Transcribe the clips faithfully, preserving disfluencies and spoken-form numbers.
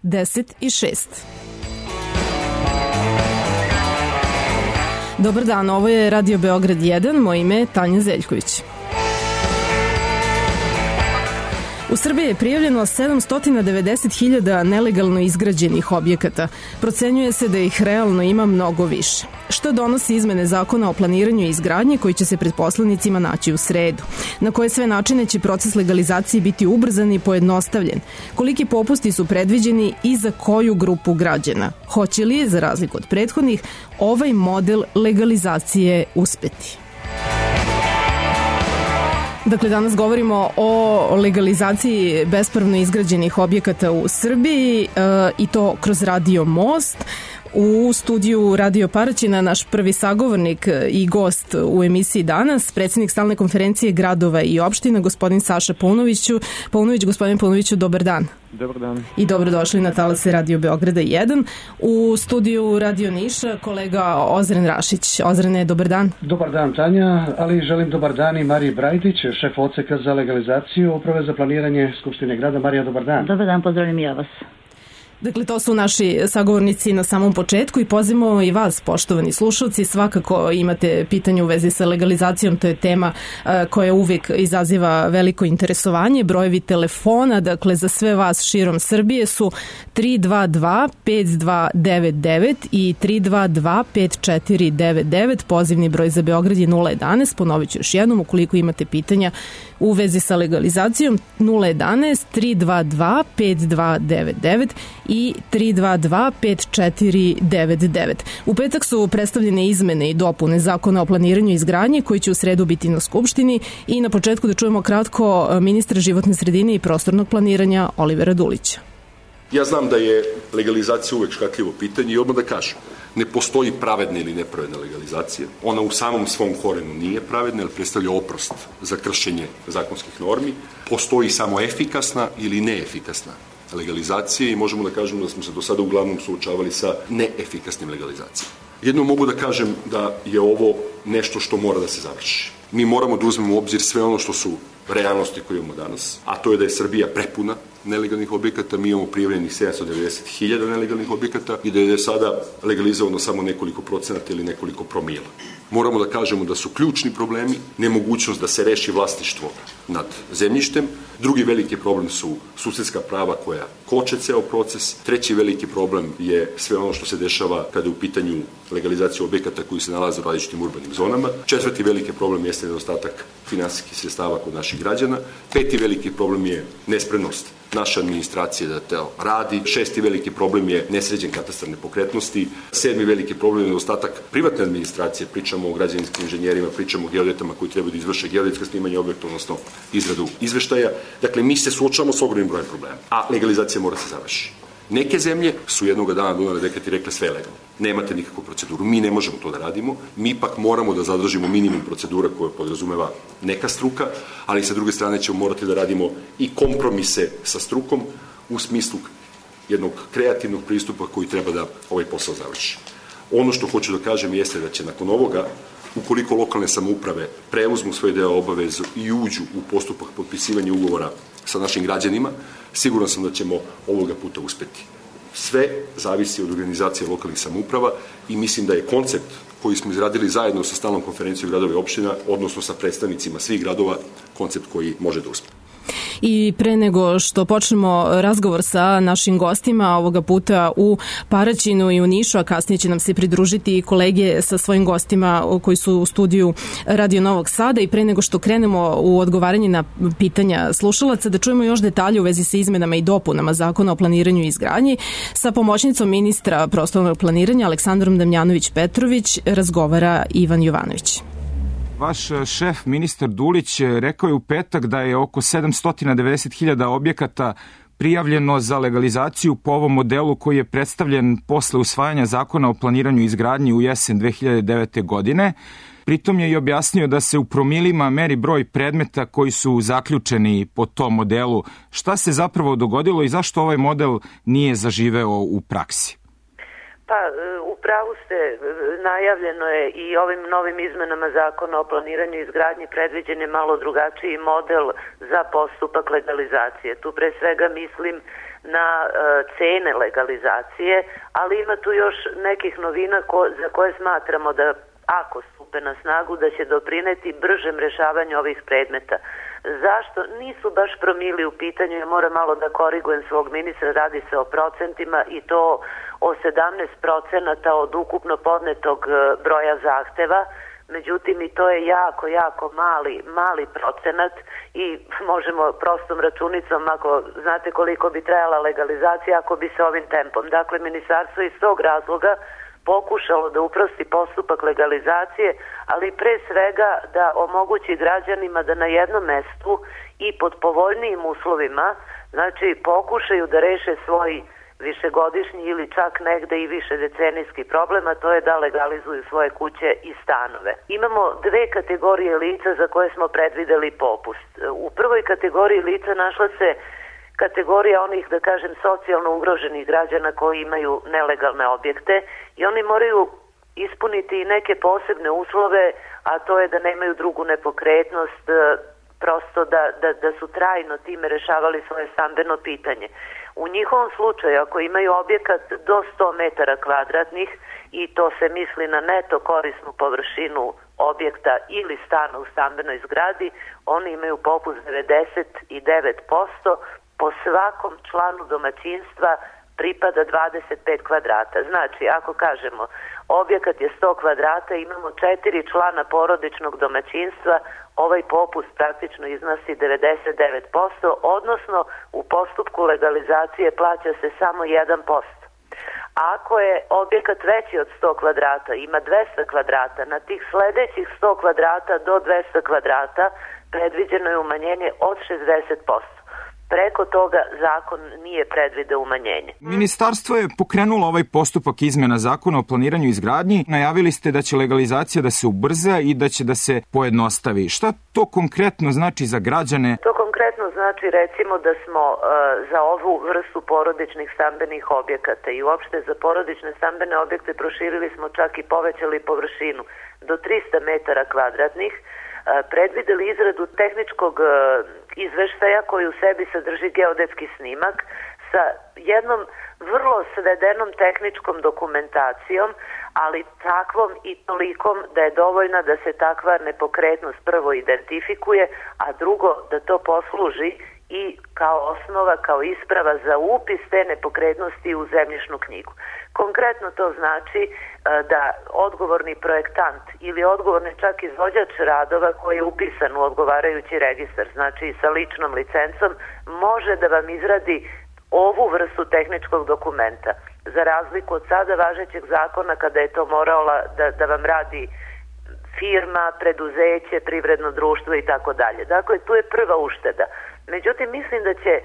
deset i šest. Dobar dan, ovo je Radio Beograd jedan, moje ime je Tanja Zeljković. U Srbiji je prijavljeno sedamsto devedeset hiljada nelegalno izgrađenih objekata. Procenjuje se da ih realno ima mnogo više. Što donosi izmene zakona o planiranju i izgradnji koji će se pred poslanicima naći u sredu? Na koje sve načine će proces legalizacije biti ubrzan i pojednostavljen? Koliki popusti su predviđeni i za koju grupu građana? Hoće li, za razliku od prethodnih, ovaj model legalizacije uspeti? Dakle, danas govorimo o legalizaciji bespravno izgrađenih objekata u Srbiji e, i to kroz Radio Most. U studiju Radio Paraćina naš prvi sagovornik i gost u emisiji danas, predsjednik stalne konferencije gradova i opština, gospodin Saša Paunoviću. Paunović, gospodin Paunoviću, dobar dan. Dobar dan. I dobrodošli na talase Radio Beograda jedan. U studiju Radio Niša kolega Ozren Rašić. Ozrene, dobar dan. Dobar dan, Tanja, ali želim dobar dan i Mariji Brajdić, šef odseka za legalizaciju Uprave za planiranje Skupštine grada. Marija, dobar dan. Dobar dan, pozdravljam i ja vas. Dakle, to su naši sagovornici na samom početku i pozivamo i vas, poštovani slušalci, svakako imate pitanje u vezi sa legalizacijom, to je tema koja uvijek izaziva veliko interesovanje. Brojevi telefona, dakle, za sve vas širom Srbije su tri dva dva pet dva devet devet i tri dva dva pet četiri devet devet, pozivni broj za Beograd je nula jedanaest, ponovit ću još jednom, ukoliko imate pitanja u vezi sa legalizacijom, nula jedanaest tri dva dva pet dva devet devet i tri dva dva pet četiri devet devet. U petak su predstavljene izmene i dopune zakona o planiranju i izgradnji koji će u sredu biti na Skupštini i na početku da čujemo kratko ministra životne sredine i prostornog planiranja Olivera Dulića. Ja znam da je legalizacija uvek škakljivo pitanje i odmah da kažem, ne postoji pravedna ili nepravedna legalizacija. Ona u samom svom korenu nije pravedna, jer predstavlja oprost za kršenje zakonskih normi. Postoji samo efikasna ili neefikasna legalizacije i možemo da kažemo da smo se do sada uglavnom suočavali sa neefikasnim legalizacijama. Jedno mogu da kažem da je ovo nešto što mora da se završi. Mi moramo da uzmemo u obzir sve ono što su realnosti koje imamo danas, a to je da je Srbija prepuna nelegalnih objekata, mi imamo prijavljenih sedamsto devedeset hiljada nelegalnih objekata i da je sada legalizovano samo nekoliko procenata ili nekoliko promila. Moramo da kažemo da su ključni problemi nemogućnost da se reši vlasništvo nad zemljištem, drugi veliki problem su susedska prava koja koče ceo proces, treći veliki problem je sve ono što se dešava kada je u pitanju legalizacija objekata koji se nalaze u različitim urbanim zonama, četvrti veliki problem jeste nedostatak finansijskih sredstava kod naših građana, peti veliki problem je nespremnost naše administracije da to radi, šesti veliki problem je nesređen katastar nepokretnosti, sedmi veliki problem je nedostatak privatne administracije, pričamo o građevinskim inženjerima, pričamo o geodetama koji trebaju da izvrše geodetska snimanja objekta, odnosno izradu izveštaja. Dakle, mi se suočavamo s ogromnim brojem problema, a legalizacija mora se završiti. Neke zemlje su jednog dana donele dekret i rekle sve je legalno. Nemate nikakvu proceduru. Mi ne možemo to da radimo. Mi ipak moramo da zadržimo minimum procedura koje podrazumeva neka struka, ali sa druge strane ćemo morati da radimo i kompromise sa strukom u smislu jednog kreativnog pristupa koji treba da ovaj posao završi. Ono što hoću da kažem jeste da će nakon ovoga, ukoliko lokalne samouprave preuzmu svoj deo obavezu i uđu u postupak potpisivanja ugovora sa našim građanima, siguran sam da ćemo ovoga puta uspeti. Sve zavisi od organizacije lokalnih samouprava i mislim da je koncept koji smo izradili zajedno sa stalnom konferencijom gradova i opština, odnosno sa predstavnicima svih gradova, koncept koji može da uspe. I pre nego što počnemo razgovor sa našim gostima, ovoga puta u Paraćinu i u Nišu, a kasnije će nam se pridružiti i kolege sa svojim gostima koji su u studiju Radio Novog Sada, i pre nego što krenemo u odgovaranje na pitanja slušalaca, da čujemo još detalje u vezi sa izmenama i dopunama zakona o planiranju i izgradnji. Sa pomoćnicom ministra prostornog planiranja Aleksandrom Damjanović-Petrović razgovara Ivan Jovanović. Vaš šef, ministar Dulić, rekao je u petak da je oko sedamsto devedeset hiljada objekata prijavljeno za legalizaciju po ovom modelu koji je predstavljen posle usvajanja zakona o planiranju i izgradnji u jesen dve hiljade devete. godine. Pritom je i objasnio da se u promilima meri broj predmeta koji su zaključeni po tom modelu. Šta se zapravo dogodilo i zašto ovaj model nije zaživeo u praksi? Pa, u pravu ste, najavljeno je i ovim novim izmenama zakona o planiranju i izgradnji predviđen je malo drugačiji model za postupak legalizacije. Tu pre svega mislim na e, cene legalizacije, ali ima tu još nekih novina ko, za koje smatramo da ako stupe na snagu da će doprineti bržem rešavanju ovih predmeta. Zašto? Nisu baš promili u pitanju, ja moram malo da korigujem svog ministra, radi se o procentima i to o sedamnaest procenata od ukupno podnetog broja zahteva, međutim i to je jako, jako mali, mali procenat i možemo prostom računicom, ako znate koliko bi trajala legalizacija ako bi se ovim tempom. Dakle, ministarstvo iz tog razloga pokušalo da uprosti postupak legalizacije, ali pre svega da omogući građanima da na jednom mestu i pod povoljnijim uslovima, znači pokušaju da reše svoj višegodišnji ili čak negde i više decenijski problem, a to je da legalizuju svoje kuće i stanove. Imamo dve kategorije lica za koje smo predvideli popust. U prvoj kategoriji lica našla se kategorija onih, da kažem, socijalno ugroženih građana koji imaju nelegalne objekte i oni moraju ispuniti i neke posebne uslove, a to je da nemaju drugu nepokretnost, prosto da, da, da su trajno time rešavali svoje stambeno pitanje. U njihovom slučaju, ako imaju objekat do sto metara kvadratnih i to se misli na neto korisnu površinu objekta ili stana u stambenoj zgradi, oni imaju popust devedeset devet posto, po svakom članu domaćinstva pripada dvadeset pet kvadrata. Znači, ako kažemo objekat je sto kvadrata, imamo četiri člana porodičnog domaćinstva, ovaj popust praktično iznosi devedeset devet posto, odnosno u postupku legalizacije plaća se samo jedan posto. Ako je objekat veći od sto kvadrata, ima dvesta kvadrata, na tih sledećih sto kvadrata do dvesta kvadrata predviđeno je umanjenje od šezdeset posto. Preko toga zakon nije predvideo umanjenje. Ministarstvo je pokrenulo ovaj postupak izmena zakona o planiranju i izgradnji. Najavili ste da će legalizacija da se ubrza i da će da se pojednostavi. Šta to konkretno znači za građane? To konkretno znači recimo da smo uh, za ovu vrstu porodičnih stambenih objekata i uopšte za porodične stambene objekte proširili smo čak i povećali površinu do trista metara kvadratnih, predvideli izradu tehničkog izveštaja koji u sebi sadrži geodetski snimak sa jednom vrlo svedenom tehničkom dokumentacijom, ali takvom i tolikom da je dovoljna da se takva nepokretnost prvo identifikuje, a drugo da to posluži i kao osnova, kao isprava za upis te nepokretnosti u zemljišnu knjigu. Konkretno to znači da odgovorni projektant ili odgovorni čak izvođač radova koji je upisan u odgovarajući registar, znači sa ličnom licencom, može da vam izradi ovu vrstu tehničkog dokumenta. Za razliku od sada važećeg zakona kada je to morala da, da vam radi firma, preduzeće, privredno društvo i tako dalje. Dakle, tu je prva ušteda. Međutim, mislim da će e,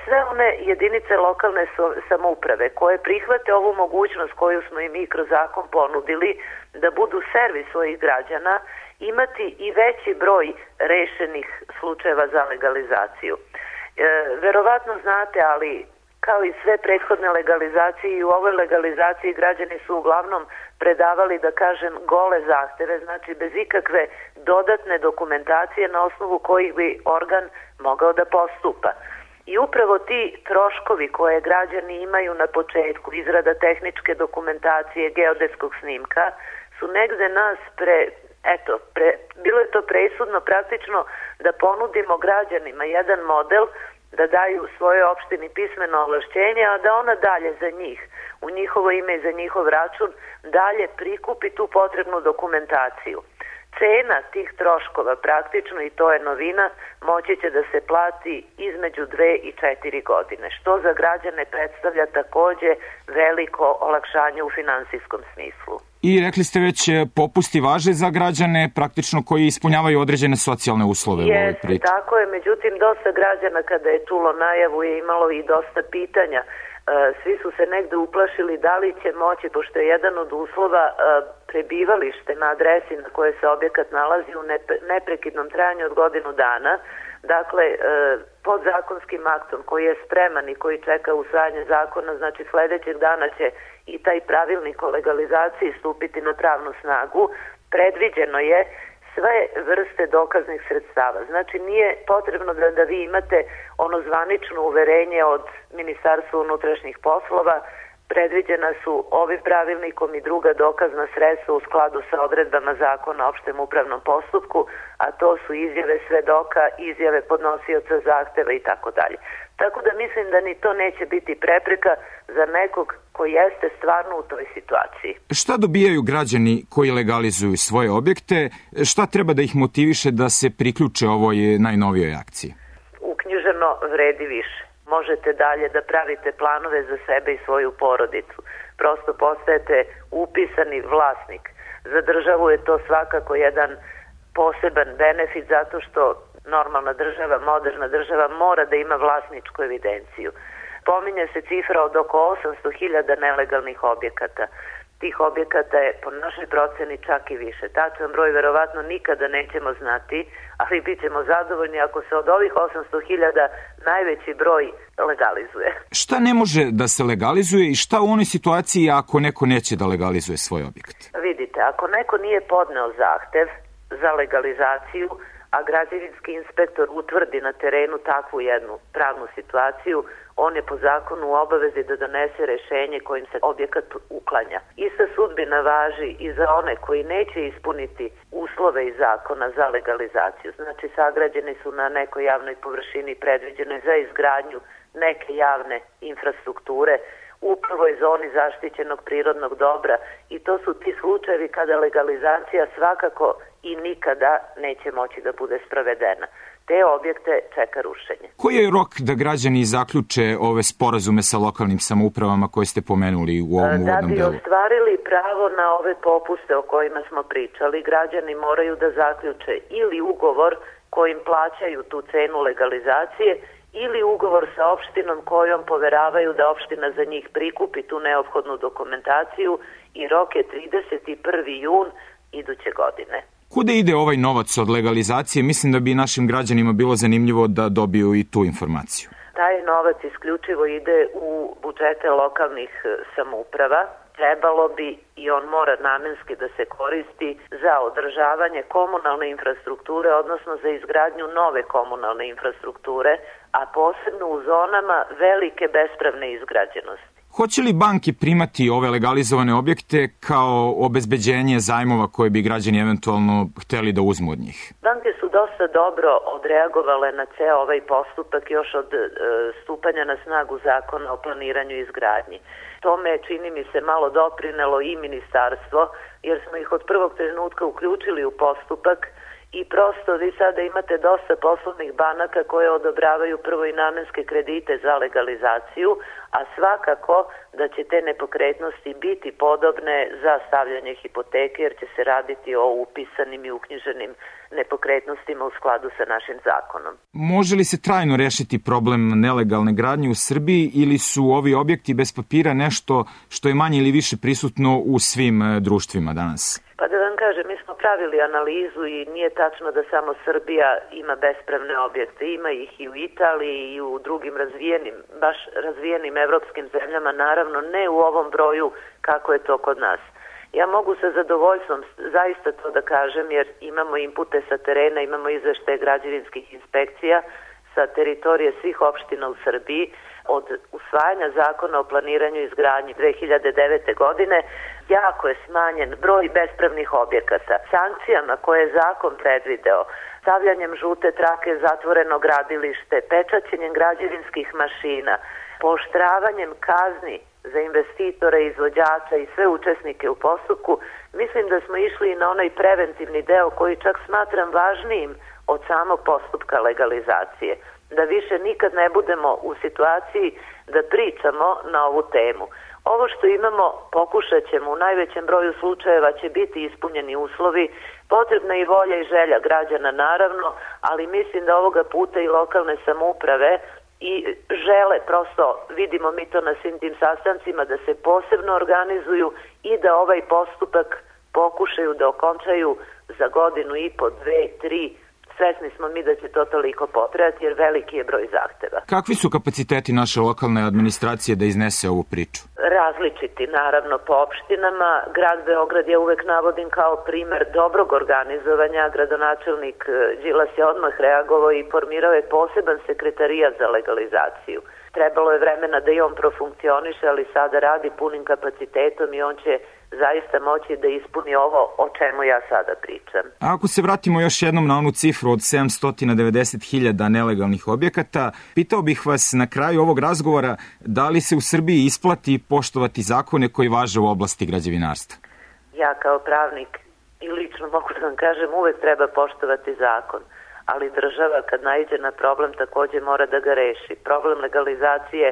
sve one jedinice lokalne so, samouprave koje prihvate ovu mogućnost koju smo i mi kroz zakon ponudili, da budu servis svojih građana, imati i veći broj rešenih slučajeva za legalizaciju. E, verovatno znate, ali kao i sve prethodne legalizacije i u ovoj legalizaciji građani su uglavnom predavali, da kažem, gole zahteve, znači bez ikakve dodatne dokumentacije na osnovu kojih bi organ mogao da postupa. I upravo ti troškovi koje građani imaju na početku, izrada tehničke dokumentacije, geodetskog snimka, su negde nas pre, eto, pre, bilo je to presudno praktično da ponudimo građanima jedan model da daju svoje opštini pismeno ovlašćenje, a da ona dalje za njih, u njihovo ime i za njihov račun, dalje prikupi tu potrebnu dokumentaciju. Cena tih troškova praktično, i to je novina, moći će da se plati između dve i četiri godine, što za građane predstavlja takođe veliko olakšanje u finansijskom smislu. I rekli ste već, popusti važe za građane praktično koji ispunjavaju određene socijalne uslove. Jeste, u ovoj priči. Tako je, međutim dosta građana kada je čulo najavu je imalo i dosta pitanja. Svi su se negde uplašili da li će moći, pošto je jedan od uslova prebivalište na adresi na kojoj se objekat nalazi u neprekidnom trajanju od godinu dana. Dakle, podzakonskim aktom koji je spreman i koji čeka usvajanje zakona, znači sledećeg dana će i taj pravilnik o legalizaciji stupiti na pravnu snagu, predviđeno je sve vrste dokaznih sredstava. Znači nije potrebno da, da vi imate ono zvanično uverenje od Ministarstva unutrašnjih poslova, predviđena su ovim pravilnikom i druga dokazna sredstva u skladu sa odredbama zakona o opštem upravnom postupku, a to su izjave svedoka, izjave podnosioca zahteva i tako dalje. Tako da mislim da ni to neće biti prepreka za nekog ko jeste stvarno u toj situaciji. Šta dobijaju građani koji legalizuju svoje objekte? Šta treba da ih motiviše da se priključe ovoj najnovijoj akciji? Uknjiženo vredi više. Možete dalje da pravite planove za sebe i svoju porodicu. Prosto postajete upisani vlasnik. Za državu je to svakako jedan poseban benefit zato što normalna država, moderna država mora da ima vlasničku evidenciju. Pominje se cifra od oko osamsto hiljada nelegalnih objekata. Tih objekata je po našoj proceni čak i više. Tačan broj verovatno nikada nećemo znati, ali bit ćemo zadovoljni ako se od ovih osamsto hiljada najveći broj legalizuje. Šta ne može da se legalizuje i šta u onoj situaciji ako neko neće da legalizuje svoj objekat? Vidite, ako neko nije podneo zahtev za legalizaciju, a građevinski inspektor utvrdi na terenu takvu jednu pravnu situaciju, on je po zakonu u obavezi da donese rešenje kojim se objekat uklanja. Ista sudbina važi i za one koji neće ispuniti uslove iz zakona za legalizaciju. Znači, sagrađeni su na nekoj javnoj površini predviđenoj za izgradnju neke javne infrastrukture u prvoj zoni zaštićenog prirodnog dobra i to su ti slučajevi kada legalizacija svakako i nikada neće moći da bude sprovedena. Te objekte čeka rušenje. Koji je rok da građani zaključe ove sporazume sa lokalnim samoupravama koje ste pomenuli u ovom uvodnom delu? Da bi ostvarili pravo na ove popuste o kojima smo pričali, građani moraju da zaključe ili ugovor kojim plaćaju tu cenu legalizacije ili ugovor sa opštinom kojom poveravaju da opština za njih prikupi tu neophodnu dokumentaciju i rok je trideseti prvi jun iduće godine. Kuda ide ovaj novac od legalizacije? Mislim da bi našim građanima bilo zanimljivo da dobiju i tu informaciju. Taj novac isključivo ide u budžete lokalnih samouprava. Trebalo bi i on mora namenski da se koristi za održavanje komunalne infrastrukture, odnosno za izgradnju nove komunalne infrastrukture, a posebno u zonama velike bespravne izgrađenosti. Hoće li banke primati ove legalizovane objekte kao obezbeđenje zajmova koje bi građani eventualno hteli da uzmu od njih? Banke su dosta dobro odreagovale na ceo ovaj postupak još od e, stupanja na snagu zakona o planiranju i izgradnji. Tome čini mi se malo doprinelo i ministarstvo, jer smo ih od prvog trenutka uključili u postupak i prosto vi sada imate dosta poslovnih banaka koje odobravaju prvo i namenske kredite za legalizaciju, a svakako da će te nepokretnosti biti podobne za stavljanje hipoteke jer će se raditi o upisanim i uknjiženim nepokretnostima u skladu sa našim zakonom. Može li se trajno rešiti problem nelegalne gradnje u Srbiji ili su ovi objekti bez papira nešto što je manje ili više prisutno u svim društvima danas? Pa da vam kažem, mi smo pravili analizu i nije tačno da samo Srbija ima bespravne objekte. Ima ih i u Italiji i u drugim razvijenim, baš razvijenim evropskim zemljama, naravno ne u ovom broju kako je to kod nas. Ja mogu sa zadovoljstvom zaista to da kažem jer imamo inpute sa terena, imamo izveštaje građevinskih inspekcija sa teritorije svih opština u Srbiji. Od usvajanja zakona o planiranju i izgradnji dve hiljade devete. godine jako je smanjen broj bespravnih objekata. Sankcijama koje je zakon predvideo, stavljanjem žute trake zatvoreno gradilište, pečaćenjem građevinskih mašina, pooštravanjem kazni za investitore, izvođača i sve učesnike u postupku, mislim da smo išli na onaj preventivni deo koji čak smatram važnijim od samog postupka legalizacije. Da više nikad ne budemo u situaciji da pričamo na ovu temu. Ovo što imamo pokušat ćemo, u najvećem broju slučajeva će biti ispunjeni uslovi, potrebna i volja i želja građana naravno, ali mislim da ovoga puta i lokalne samouprave i žele, prosto vidimo mi to na svim tim sastancima, da se posebno organizuju i da ovaj postupak pokušaju da okončaju za godinu i po, dve, tri. Svesni smo mi da će to toliko potrajati jer veliki je broj zahteva. Kakvi su kapaciteti naše lokalne administracije da iznese ovu priču? Različiti, naravno, po opštinama. Grad Beograd je uvek navodim kao primer dobrog organizovanja. Gradonačelnik Đilas je odmah reagovao i formirao je poseban sekretarijat za legalizaciju. Trebalo je vremena da i on profunkcioniše, ali sada radi punim kapacitetom i on će zaista moći da ispuni ovo o čemu ja sada pričam. A ako se vratimo još jednom na onu cifru od sedamsto devedeset hiljada nelegalnih objekata, pitao bih vas na kraju ovog razgovora da li se u Srbiji isplati poštovati zakone koji važe u oblasti građevinarstva? Ja kao pravnik i lično mogu da vam kažem uvek treba poštovati zakon, ali država kad naiđe na problem takođe mora da ga reši. Problem legalizacije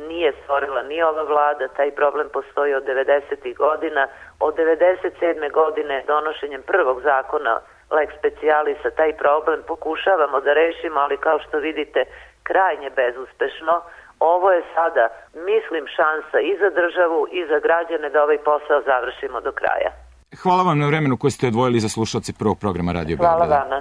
nije stvorila ni ova vlada, taj problem postoji od devedesetih godina. Od devedeset sedme godine donošenjem prvog zakona Lex Specialisa taj problem pokušavamo da rešimo, ali kao što vidite krajnje bezuspešno. Ovo je sada, mislim, šansa i za državu i za građane da ovaj posao završimo do kraja. Hvala vam na vremenu koje ste odvojili za slušalce prvog programa Radio Beograda. Hvala vama.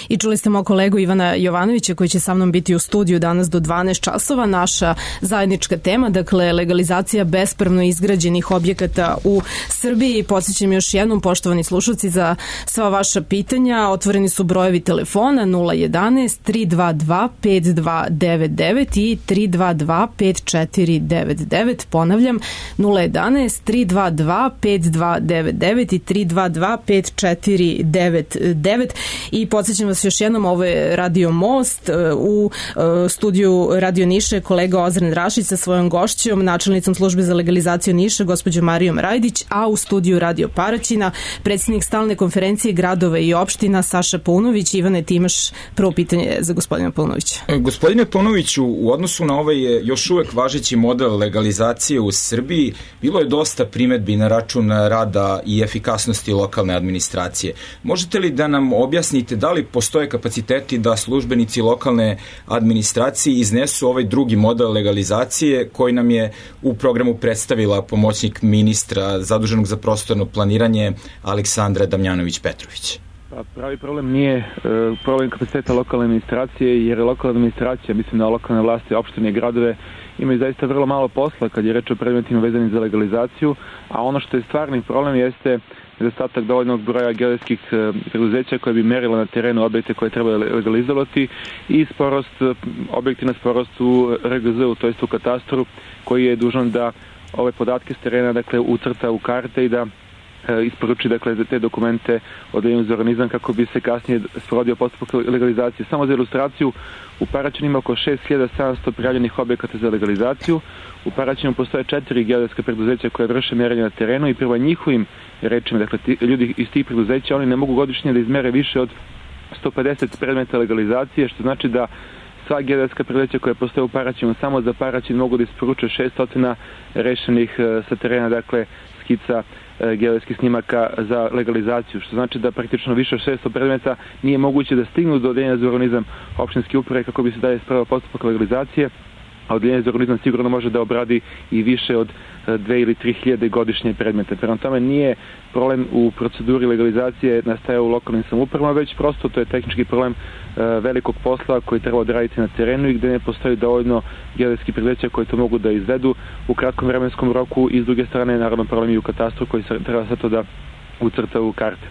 I čuli ste moj kolegu Ivana Jovanovića koji će sa mnom biti u studiju danas do dvanaest časova. Naša zajednička tema, dakle legalizacija bespravno izgrađenih objekata u Srbiji. Podsjećam još jednom, poštovani slušalci, za sva vaša pitanja. Otvoreni su brojevi telefona nula jedanaest tri dva dva pet dva devet devet i tri dva dva pet četiri devet devet. Ponavljam, nula jedanaest tri dva dva pet dva devet devet i tri dva dva pet četiri devet devet. I podsjećam vas još jednom, ovo je Radio Most, u studiju Radio Niša je kolega Ozren Rašić sa svojom gošćom, načelnicom službe za legalizaciju Niša, gospođom Marijom Rajdić, a u studiju Radio Paraćina predsjednik stalne konferencije gradova i opština Saša Paunović. Ivane, ti imaš prvo pitanje za gospodina Paunovića. Gospodine Paunoviću, u odnosu na ovaj još uvek važeći model legalizacije u Srbiji, bilo je dosta primedbi na račun rada i efikasnosti lokalne administracije. Možete li da nam objasnite da li postoje kapaciteti da službenici lokalne administracije iznesu ovaj drugi model legalizacije koji nam je u programu predstavila pomoćnik ministra zaduženog za prostorno planiranje Aleksandra Damjanović-Petrović? Pravi problem nije problem kapaciteta lokalne administracije, jer lokalna administracija, mislim na lokalne vlasti, opštine i gradove, imaju zaista vrlo malo posla kad je reč o predmetima vezanim za legalizaciju, a ono što je stvarni problem jeste nedostatak dovoljnog broja geodetskih preduzeća koje bi merila na terenu objekte koje treba legalizovati i sporost, objektivna sporost u R G Z-u, to jest u katastru, koji je dužan da ove podatke s terena, dakle, ucrta u karte i da isporuči, dakle, te dokumente Odeljenju za urbanizam kako bi se kasnije sprovodio postupak legalizacije. Samo za ilustraciju, u Paraćinu ima oko šest hiljada sedamsto prijavljenih objekata za legalizaciju. U Paraćinu postoje četiri geodetska preduzeća koje vrše merenje na terenu i prema njihovim rečima, dakle, ti, ljudi iz tih preduzeća, oni ne mogu godišnje da izmere više od sto pedeset predmeta legalizacije, što znači da sva geodetska preduzeća koja postoje u Paraćinu samo za Paraćin mogu da isporuče šessto rešenih sa terena, dakle, skica geodetskih snimaka za legalizaciju, što znači da praktično više od šesto predmeta nije moguće da stignu do Odeljenja za urbanizam opštinske uprave kako bi se dalje spravio postupak legalizacije, a Odeljenje za urbanizam sigurno može da obradi i više od dve ili tri hiljade godišnje predmete. Prema tome nije problem u proceduri legalizacije nastaja u lokalnim samoupravama, već prosto to je tehnički problem velikog posla koji treba odraditi na terenu i gde ne postoji dovoljno geodetskih preduzeća koji to mogu da izvedu u kratkom vremenskom roku i s druge strane naravno problem i u katastru koji treba sve to da ucrta u karte.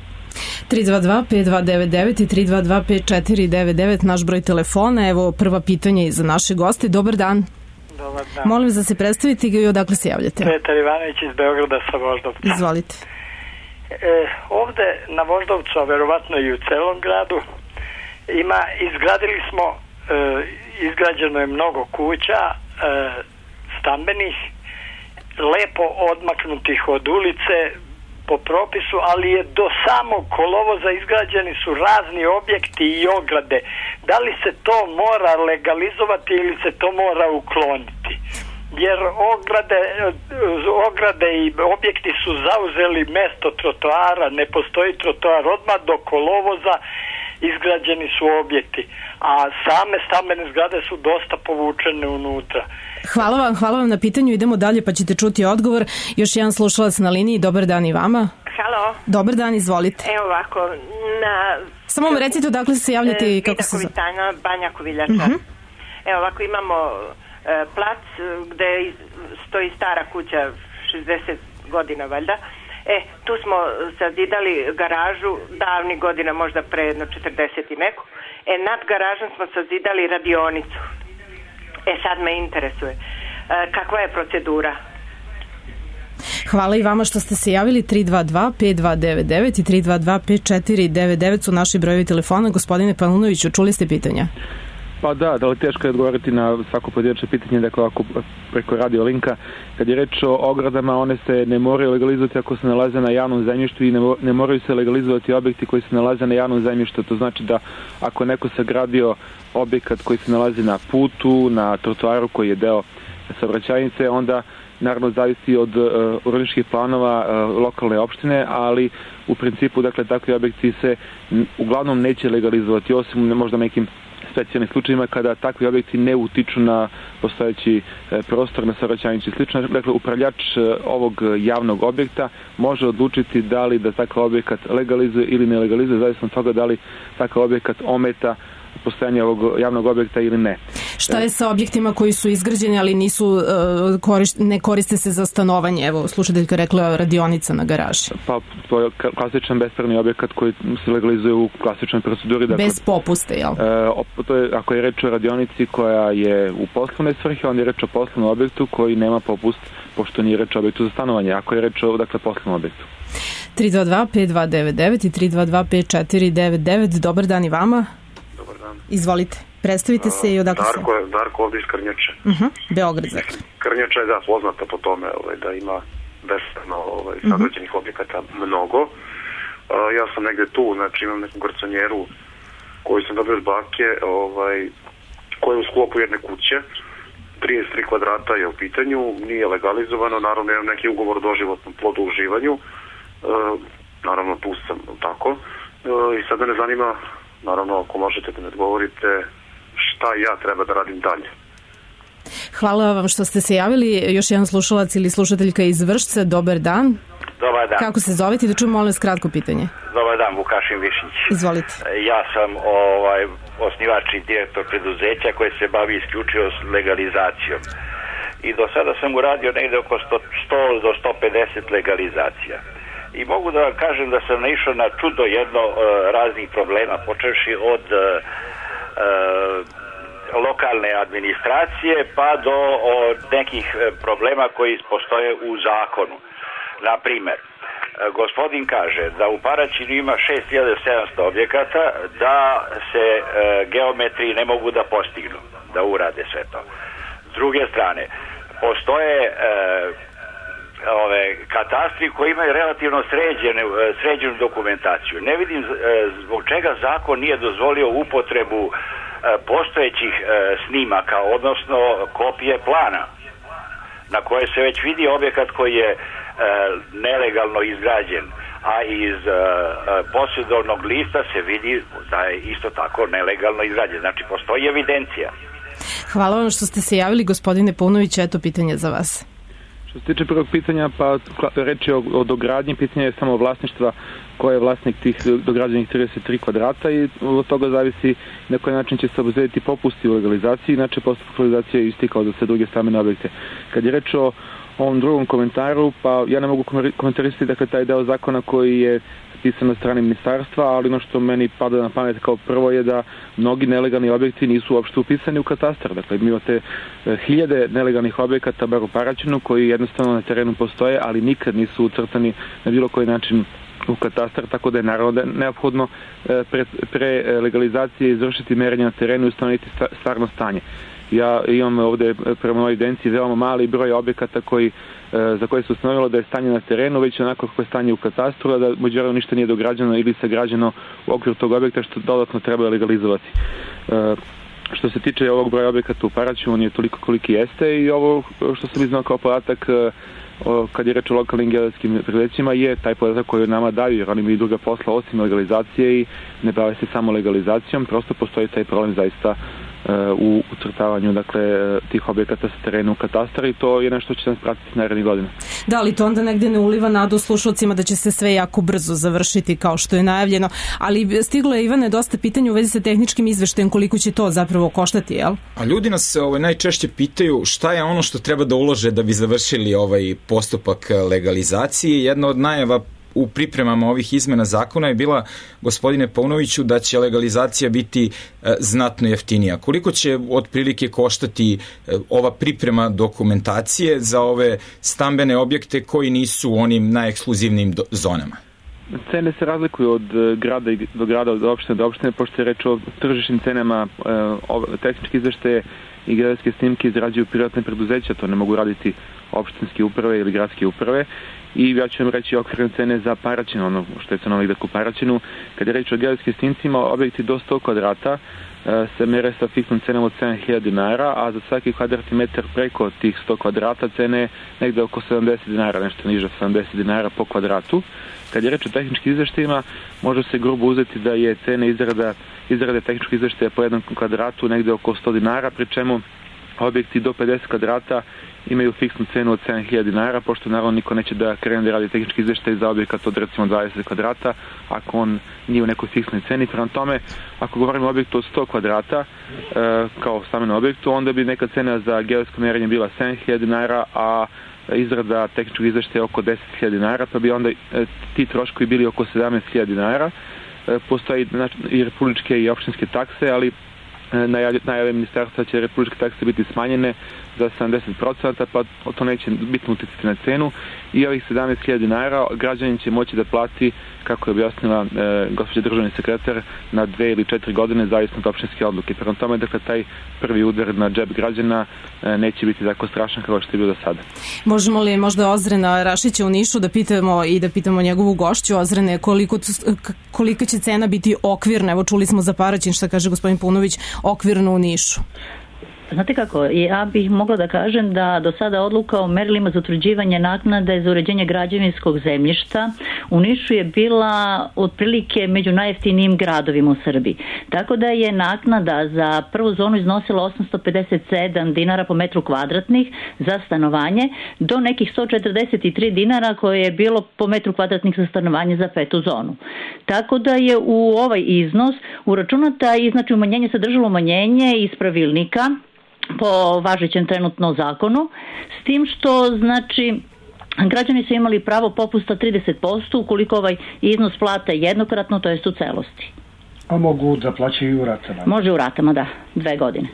tri dva dva pet dva devet devet i tri dva dva pet četiri devet devet naš broj telefona. Evo prva pitanje i za naše goste. Dobar dan. Dobar dan. Molim vas da se predstavite i odakle se javljate. Petar Ivanović iz Beograda sa Voždovca. Izvolite. E, ovde na Voždovcu, a verovatno i u celom gradu, ima, izgradili smo, e, izgrađeno je mnogo kuća, e, stambenih, lepo odmaknutih od ulice, po propisu, ali je do samog kolovoza izgrađeni su razni objekti i ograde. Da li se to mora legalizovati ili se to mora ukloniti? Jer ograde, ograde i objekti su zauzeli mesto trotoara, ne postoji trotoar, odmah do kolovoza izgrađeni su objekti, a same stambene zgrade su dosta povučene unutra. Hvala vam, hvala vam na pitanju, idemo dalje pa ćete čuti odgovor. Još jedan slušalac na liniji, dobar dan i vama. Halo. Dobar dan, izvolite. Evo ovako, na... Samo vam recite odakle se javljate i kako se... Vidaković Tanja, Banja Koviljača. Uh-huh. Evo ovako, imamo e, plac gde stoji stara kuća, šezdeset godina valjda. E, tu smo sazidali garažu davnih godina, možda pre jedno četrdeset i neku. E, nad garažom smo sazidali radionicu. E, sad me interesuje. E, kakva je procedura? Hvala i vama što ste se javili. Tri dva dva pet dva devet devet i tri dva dva pet četiri devet devet su naši brojevi telefona. Gospodine Palunoviću, čuli ste pitanja? Pa da, da li teško je odgovoriti na svako pojedinačno pitanje, dakle ako preko radio linka. Kad je reč o ogradama, one se ne moraju legalizovati ako se nalaze na javnom zemljištu i ne, ne moraju se legalizovati objekti koji se nalaze na javnom zemljištu. To znači da ako neko sagradio objekat koji se nalazi na putu, na trotoaru koji je deo saobraćajnice, onda naravno zavisi od uh, urbanističkih planova uh, lokalne opštine, ali u principu, dakle, takvi objekti se n- uglavnom neće legalizovati, osim možda nekim specijalnim slučajima kada takvi objekti ne utiču na postojeći e, prostor na saobraćajnici i slično. Dakle, upravljač e, ovog javnog objekta može odlučiti da li da takav objekat legalizuje ili ne legalizuje, zavisno od toga da li takav objekat ometa postojanje ovog javnog objekta ili ne. Šta je sa objektima koji su izgrađeni, ali nisu uh, koriš, ne koriste se za stanovanje? Evo, slušateljka rekla radionica na garaži. Pa, to je klasičan bespravni objekat koji se legalizuje u klasičnoj proceduri. Dakle, bez popuste, jel? E, to je, ako je reč o radionici koja je u poslovne svrhe, onda je reč o poslovnom objektu koji nema popust, pošto nije reč o objektu za stanovanje. Ako je reč o, dakle, poslovnom objektu. tri dva dva pet dva devet devet i tri dva dva pet četiri devet devet. Dobar dan i vama. Dobar dan. Izvolite, predstavite se i odakle se... Darko, Darko ovdje iz Krnjače. Uh-huh. Beograd, dakle. Krnjača je, da, poznata po tome ovaj, da ima bespravno ovaj, sagrađenih uh-huh. objekata mnogo. Uh, ja sam negde tu, znači imam neku garconjeru koju sam dobio od bake, ovaj, koja je u sklopu jedne kuće. trideset tri kvadrata je u pitanju, nije legalizovano, naravno imam neki ugovor o doživotnom plodu uživanju. Uh, naravno tu sam tako. Uh, I sad me zanima, naravno, ako možete da mi odgovorite šta ja treba da radim dalje. Hvala vam što ste se javili. Još jedan slušalac ili slušateljka iz Vršca. Dobar dan. Dobar dan. Kako se zovete? Da čujem, molim vas, kratko pitanje. Dobar dan, Vukašin Višnjić. Izvolite. Ja sam ovaj, osnivač i direktor preduzeća koje se bavi isključivo s legalizacijom. I do sada sam uradio negde oko sto do sto pedeset legalizacija. I mogu da vam kažem da sam naišao na čudo jedno uh, raznih problema, počevši od uh, uh, lokalne administracije pa do od nekih uh, problema koji postoje u zakonu. Na primer, uh, gospodin kaže da u Paraćinu ima šest hiljada sedamsto objekata, da se uh, geometri ne mogu da postignu, da urade sve to. S druge strane, postoje uh, ove katastri koji imaju relativno sređene, sređenu dokumentaciju. Ne vidim zbog čega zakon nije dozvolio upotrebu postojećih snimaka, odnosno kopije plana na koje se već vidi objekat koji je nelegalno izgrađen, a iz posjedovnog lista se vidi da je isto tako nelegalno izgrađen. Znači, postoji evidencija. Hvala vam što ste se javili, gospodine Paunović, eto pitanje za vas. Što se tiče prvog pitanja, pa reč je o, o dogradnji, pitanje je samo vlasništva ko je vlasnik tih dograđenih trideset tri kvadrata i od toga zavisi na koji način će se obezbediti popusti u legalizaciji, inače postupak legalizacije je isti kao za sve druge stambene objekte. Kad je reč o ovom drugom komentaru, pa ja ne mogu komentarisati dakle taj deo zakona koji je pisan na strani ministarstva, ali ono što meni pada na pamet kao prvo je da mnogi nelegalni objekti nisu uopšte upisani u katastar. Dakle, imate e, hiljade nelegalnih objekata, bar u Paraćinu, koji jednostavno na terenu postoje, ali nikad nisu ucrtani na bilo koji način u katastar, tako da je naravno neophodno e, pre, pre legalizacije izvršiti merenje na terenu i ustanoviti stvarno stanje. Ja imam ovde prema mojoj evidenciji veoma mali broj objekata koji, za koje se ustanovilo da je stanje na terenu, već onako kako je stanje u katastru, a da međutim ništa nije dograđeno ili sagrađeno u okviru tog objekta što dodatno treba legalizovati. Što se tiče ovog broja objekata u Paraćinu, on je toliko koliki jeste i ovo što sam iznao kao podatak kad je reč o lokalnim geodetskim preduzećima je taj podatak koji nama daju, jer oni imaju druga posla osim legalizacije i ne bave se samo legalizacijom, prosto postoji taj problem zaista u ucrtavanju dakle, tih objekata sa terena u katastar i to je nešto što će nas pratiti narednih godina. Da, ali to onda negde ne uliva nadu slušalcima da će se sve jako brzo završiti kao što je najavljeno, ali stiglo je, Ivane, dosta pitanja u vezi sa tehničkim izveštajem koliko će to zapravo koštati, jel? A ljudi nas ovaj, najčešće pitaju šta je ono što treba da ulože da bi završili ovaj postupak legalizacije. Jedna od najava u pripremama ovih izmena zakona je bila, gospodine Paunoviću, da će legalizacija biti e, znatno jeftinija. Koliko će otprilike koštati e, ova priprema dokumentacije za ove stambene objekte koji nisu u onim najekskluzivnijim do, zonama? Cene se razlikuju od grada do grada, od opštine do opštine, pošto je reč o tržišnim cenama, e, tehnički izveštaje i geodetske snimke izrađuju privatne preduzeća, to ne mogu raditi opštinske uprave ili gradske uprave. I ja ću vam reći okvirne cene za Paraćin, ono što je cenovnik dakle u Paraćinu. Kad je reč o geodetskim snimcima, objekti do sto kvadrata e, se mere sa fiksnom cenom od sedam hiljada dinara, a za svaki kvadratni metar preko tih sto kvadrata cene negde oko sedamdeset dinara, nešto niže sedamdeset dinara po kvadratu. Kad je reč o tehničkim izveštajima, može se grubo uzeti da je cena izrada, izrade tehničkog izveštaja po jednom kvadratu negde oko sto dinara, pri čemu objekti do pedeset kvadrata imaju fiksnu cenu od sedam hiljada dinara, pošto naravno niko neće da krene da radi tehnički izveštaj za objekat od recimo dvadeset kvadrata, ako on nije u nekoj fiksnoj ceni. Prema tome, ako govorimo o objektu od sto kvadrata, e, kao stambenom objektu, onda bi neka cena za geodetsko merenje bila sedam hiljada dinara, a izrada tehničkog izveštaja oko deset hiljada dinara, pa bi onda e, ti troškovi bili oko sedamnaest hiljada dinara. E, postoji znači, i republičke i opštinske takse, ali najave ministarstva će republičke takse biti smanjene za sedamdeset procenta, pa to neće bitno uticati na cenu i ovih sedamnaest hiljada dinara građanin će moći da plati, kako je objasnila e, gospođa državni sekretar, na dve ili četiri godine zavisno od opštinske odluke. Prema tome, dakle, taj prvi udar na džep građana e, neće biti tako strašan kao što je bio do sada. Možemo li možda Ozrena Rašića u Nišu da pitamo i da pitamo njegovu gošću, Ozrene, koliko, kolika će cena biti okvirna? Evo čuli smo za Paraćin, šta kaže gospodin Paunović, okvirno u Nišu. Znate kako, ja bih mogla da kažem da do sada odluka o merilima za utvrđivanje naknade za uređenje građevinskog zemljišta u Nišu je bila otprilike među najjeftinijim gradovima u Srbiji. Tako da je naknada za prvu zonu iznosila osamsto pedeset sedam dinara po metru kvadratnih za stanovanje do nekih sto četrdeset tri dinara koje je bilo po metru kvadratnih za stanovanje za petu zonu. Tako da je u ovaj iznos uračunata i znači umanjenje sadržalo umanjenje iz pravilnika po važećem trenutno zakonu, s tim što znači građani su imali pravo popusta trideset posto ukoliko ovaj iznos plate jednokratno, to jest u celosti. A mogu da plaćaju i u ratama? Može u ratama, da, dve godine.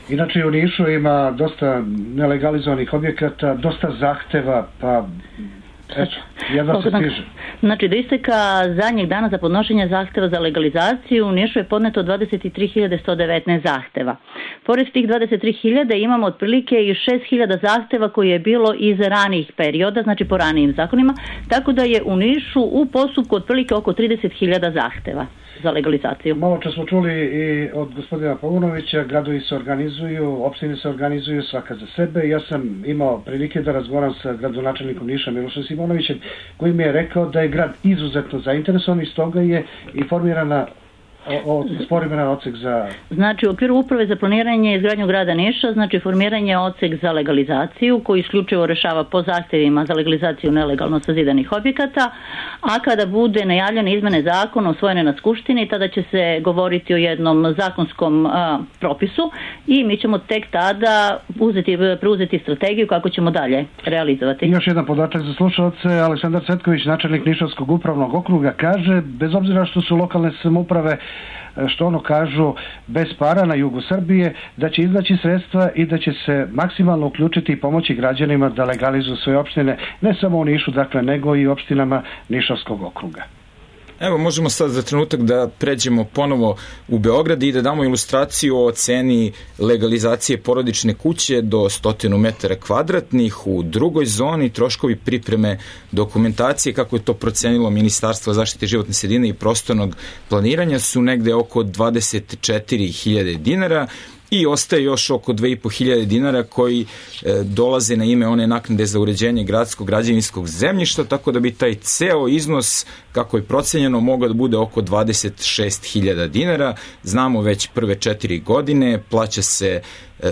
Inače u Nišu ima dosta nelegalizovanih objekata, dosta zahteva, pa eto, jedva se stiže. Znači, do isteka zadnjeg dana za podnošenje zahteva za legalizaciju u Nišu je podneto dvadeset tri hiljade sto devetnaest zahteva. Pored tih dvadeset tri hiljade imamo otprilike i šest hiljada zahteva koje je bilo iz ranijih perioda, znači po ranijim zakonima, tako da je u Nišu u postupku otprilike oko trideset hiljada zahteva za legalizaciju. Malo čas smo čuli i od gospodina Paunovića, gradovi se organizuju, opštine se organizuju svaka za sebe. Ja sam imao prilike da razgovaram sa gradonačelnikom Niša Milošem Simonovićem, koji mi je rekao da je grad izuzetno zainteresovan i stoga je i formirana O, formiran odsek za... Znači, u okviru uprave za planiranje i izgradnju grada Niša, znači formiranje odsek za legalizaciju koji isključivo rešava po zahtevima za legalizaciju nelegalno sazidanih objekata, a kada bude najavljene izmene zakona usvojene na Skupštini, tada će se govoriti o jednom zakonskom a, propisu i mi ćemo tek tada uzeti, preuzeti strategiju kako ćemo dalje realizovati. I još jedan podatak za slušalce. Aleksandar Cvetković, načelnik Nišavskog upravnog okruga, kaže, bez obzira što su lokalne samouprave, što ono kažu, bez para na jugu Srbije, da će iznaći sredstva i da će se maksimalno uključiti i pomoći građanima da legalizuju svoje opštine, ne samo u Nišu, dakle, nego i opštinama Nišavskog okruga. Evo, možemo sad za trenutak da pređemo ponovo u Beograd i da damo ilustraciju o ceni legalizacije porodične kuće do stotinu metara kvadratnih u drugoj zoni. Troškovi pripreme dokumentacije, kako je to procenilo Ministarstvo zaštite životne sredine i prostornog planiranja, su negde oko dvadeset četiri hiljade dinara i ostaje još oko dve i po hiljade dinara koji e, dolaze na ime one naknade za uređenje gradskog građevinskog zemljišta, tako da bi taj ceo iznos, kako je procenjeno, mogao da bude oko dvadeset šest hiljada dinara. Znamo već prve četiri godine, plaća se e,